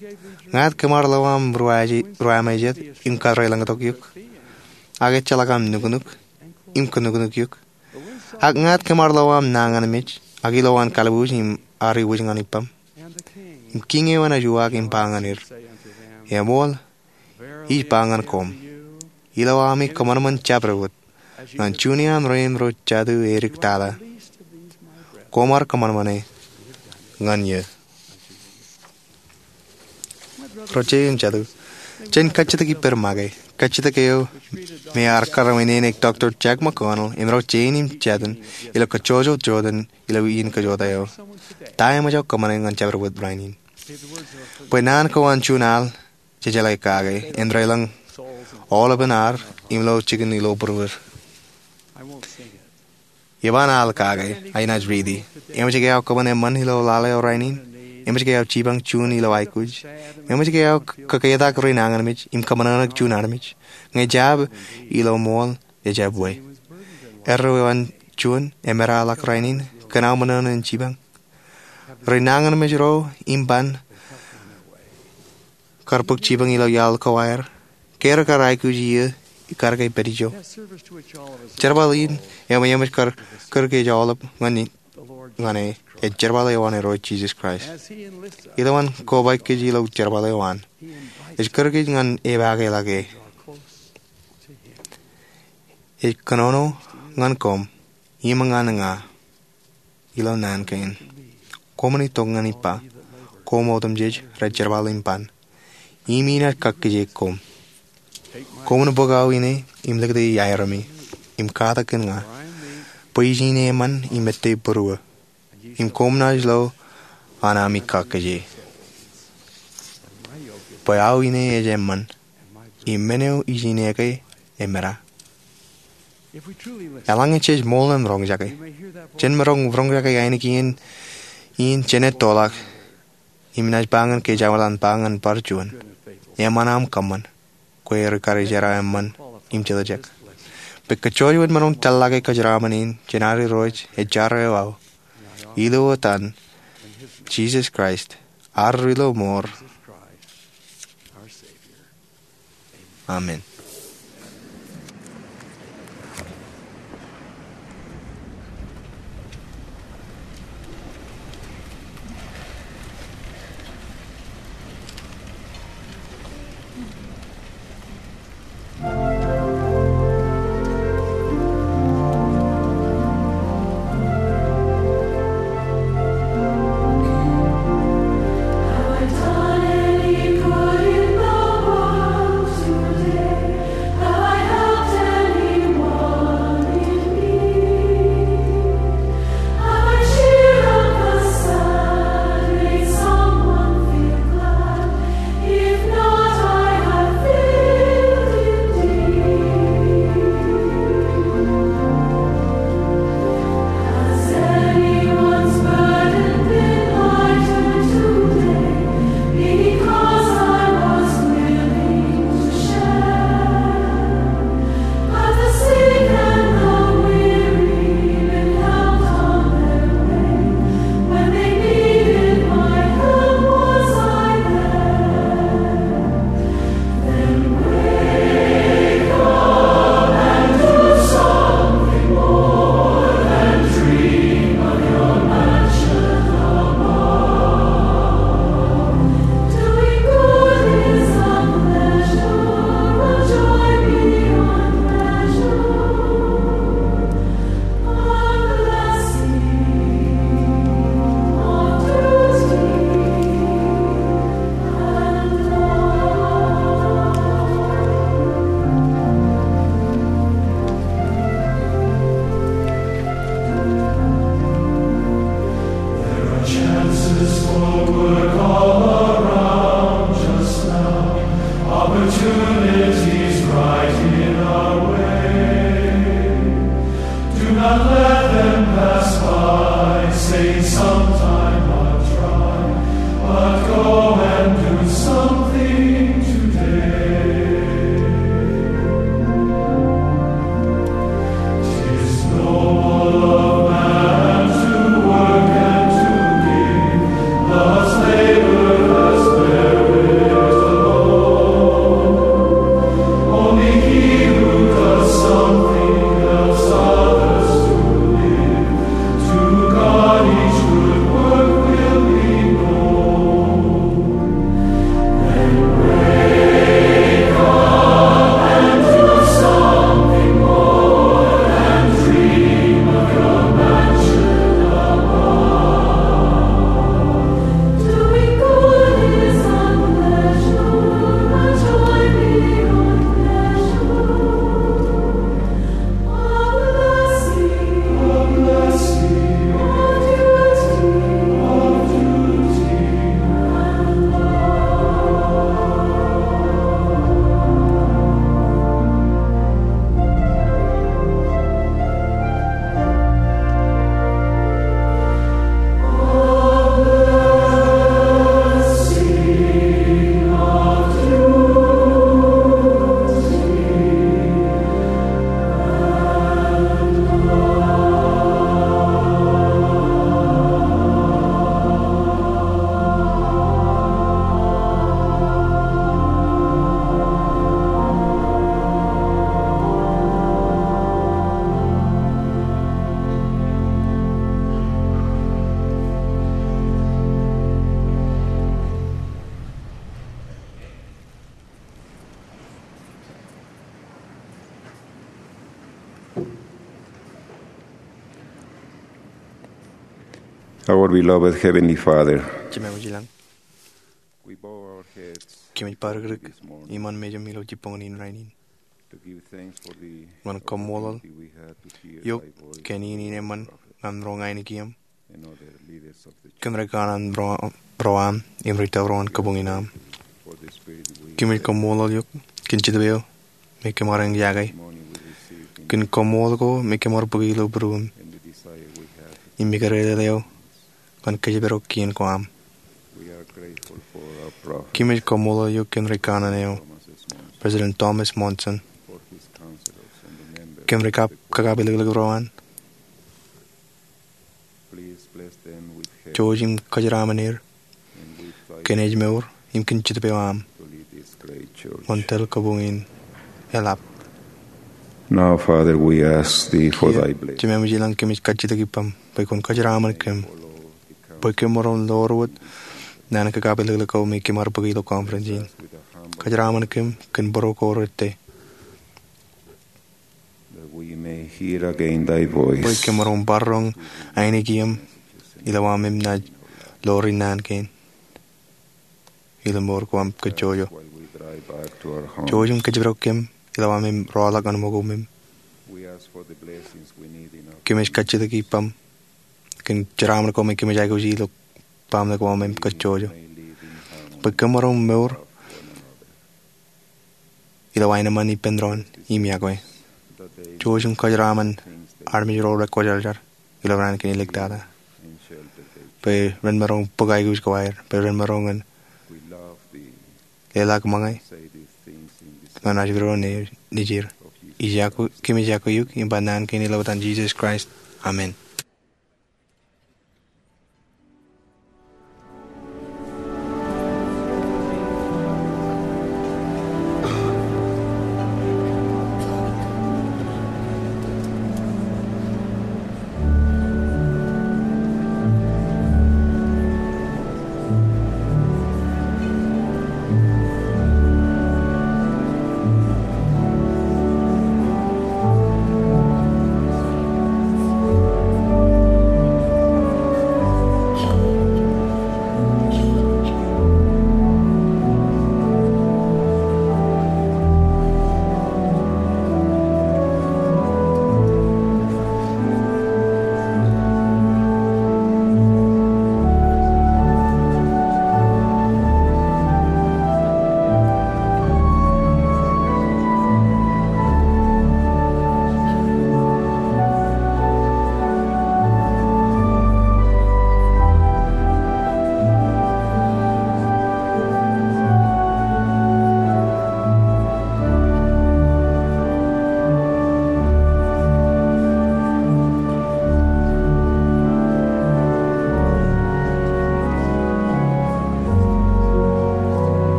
Ñāāt kōm ar lo aṃ ruwamejet im katrelōñtok eok, ak ejjeḷọk aṃ nuknuk im kōnokonok eok. Ak ñāāt kōm ar lo aṃ naan ñan mej, ak ilo an kalbuuj im ar iwōj ñan ippaṃ. Im kiiñ eo enaaj uwaak im ba ñan er, Eṃool, ij ba ñan koṃ, ilo ami kōṃanṃan jabdewōt ñan juon iaan rein ro jatū edik tata, koṃ ar kōṃanṃane ñan eō. Ro jeiū im jatū, jen kajjitōk ippād make, kajjitōk eo me ear karwaineneik Doctor Jack McConnell im ro jein im jatū ilo kajjojo jota ilo iien kajota eo. Ta eṃōj aō kōṃṃane ñan jabdewōt rainin? Bwe naan ko an juon al jejeḷā kake, āindein aolepān ad im lo jikin ilo būruod. Eban al kake, ak inaaj riiti. Eṃōj ke aō kōṃṃan eṃṃan ilo lale eo rainin? Eṃōj ke aō jipañ juon ilo aikuj? Eṃōj ke aō k-, kōketak ri nañinmej im kōṃōṇōṇō juon armej? Ñe jab, ilo ṃool, ejab we. Erreo an juon, emedalọk rainin, kōn aō ṃōṇōṇō in jipañ. Ri nañinmej ro im ban kar bōk jipañ ilo iaḷ ko aer, ke rekar aikuj iiō, ikar ke pād ijo? Jerbal in eo me eṃōj kar kōr kōj aolep ñan e, ñan e, ej jerbal eo an Irooj Jisōs Kraist. Ilo an kobaik kōj ilo jerbal eo an, ej kōr kōj ñan epaake ḷọk e. Ej kōnono ñan koṃ im ñan ña ilo naan kein. Koṃwin itok ñan ippa, koṃ otemjej rej jerbal im ban, im inaaj kakkije koṃ. Koṃwin bōk aō ine im likūti aerōmi, im katak kōn ña, bwe ij ine eṃṃan im ettā būruō, im koṃ naaj lo an ami kakkije. Bwe aō ine ej eṃṃan, im men eo ij ine ke emeda. Eḷaññe jej ṃool im roñjake, jen maroñ roñjake ainikien in jenaaj tōḷọk, im inaaj ba ñan kōj aolep an ba ñan bar juon, Eṃṃan aṃ kōṃṃan, kwe rikarijerā eṃṃan im jetōjek. Bwe kōjwōj wōt maroñ tōllọke kōjeraaṃṃan in jān ad Irooj ej jar eo aō. Ilo etan Jisōs Kraist, ad Ri-lọmọọr. Amen. There are chances for work all around just now, opportunities right in our way. Do not let them pass by, saying, "Sometime I'll try," but go and do something today. 'Tis noble of man to work and to give, thus labor has merit alone. Only he who does something else Our beloved Heavenly Father, Jemem ilañ, we bow our heads kōmij parikdik this morning iṃaan mejaṃ ilo jibboñōn in rainin to give thanks for the ñan kaṃṃoolol opportunity we had to hear eok thy voice kōn in, in eṃṃan ñan ro ña ainikieṃ, and other leaders of the church, kōn ri kanaan ro, ro aṃ im ri tōpar ro ñan kabuñ in aṃ. For the Spirit we kōmij kaṃṃoolol eok kōn Jetōb eo me kōm ar eñjake, kōn koṃṃool ko me kōm ar bōki ilo būruōm, im ikōrā eo ñan kōjparok kien ko aṃ. Kōmij koṃṃool eok kōn ri kanaan eo, President Thomas Monson, kōn ri kab, kakapilōklōk ro an. Jouj im kōjeraaṃṃan er kōn ājmour im kōn Jetōb eo aṃ wōn tōl kabuñ in eḷap. Now, Father, we ask thee for thy blessing. Jemem ilañ, kōmij kajjitōk ippaṃ bwe kwōn kōjeraaṃṃan kōm bwe kōm maroñ ḷoor wōt naan kakapilōklōk ko me kōm ar bōki ilo conference in. Kōjeraaṃṃan kōm kōn bōro ko rettō, that we may hear again thy voice, bwe kōm maroñ bar roñ ainikieṃ ilo aṃ im naaj ḷoor naan kein ilo mour ko aṃ kajjojo. While we drive back to our home, jouj im kōjparok kōm ilo aṃ im rọọlḷọk ñan ṃōko im. We ask for the blessings we need in our, kōmij kajjitōk ippaṃ kōn jeraaṃṃan ko me kōmij aikuj ilo baaṃle ko aṃ im kajjojo, bwe kōm maroñ mour ilo aenōṃṃan ippān doon im iọkwe. Jouj im kōjeraaṃṃan armej ro rekwōjarjar ilo raan kein iliktata, bwe ren maroñ bōk aikuj ko aer, bwe ren maroñ ñan leḷọk ṃōñā ñan ajri ro nejier. Ij iọkwe, kōmij iọkwe eok im ba naan kein ilo etan Jisōs Kraist. Amen.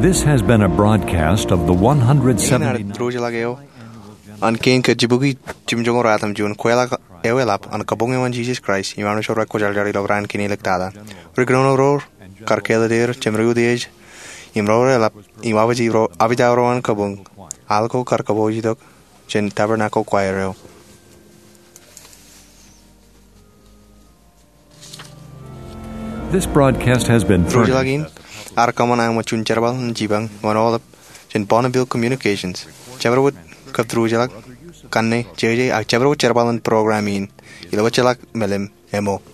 This has been a broadcast of the Iien ad one hundred seventy-ninth. Diwōjḷọk eo an kein kajjibukwi jimjuonñoul ruatimjuon kweilọk eo eḷap an kabuñ eo an Jisōs Kraist im Armej ro rekwōjarjar ilo raan kein iliktata. Ri-kōnono ro kar kāālōt er, jemān ri-utiej im ro reḷap im abijao ro an kabuñ, al ko kar kōpooj itok jān Tabernacle Choir eo. This broadcast has been furnished. Diwōjḷọk in ear kōṃṃan eo ṃōk juon jerbal in jipañ ñan aolep jān Bonneville Communications. Jabdewōt kab diwōjḷọk kanne, jeje, ak jabdewōt jerbal in program in ilo wōjḷọk meḷeḷe eo ṃōk.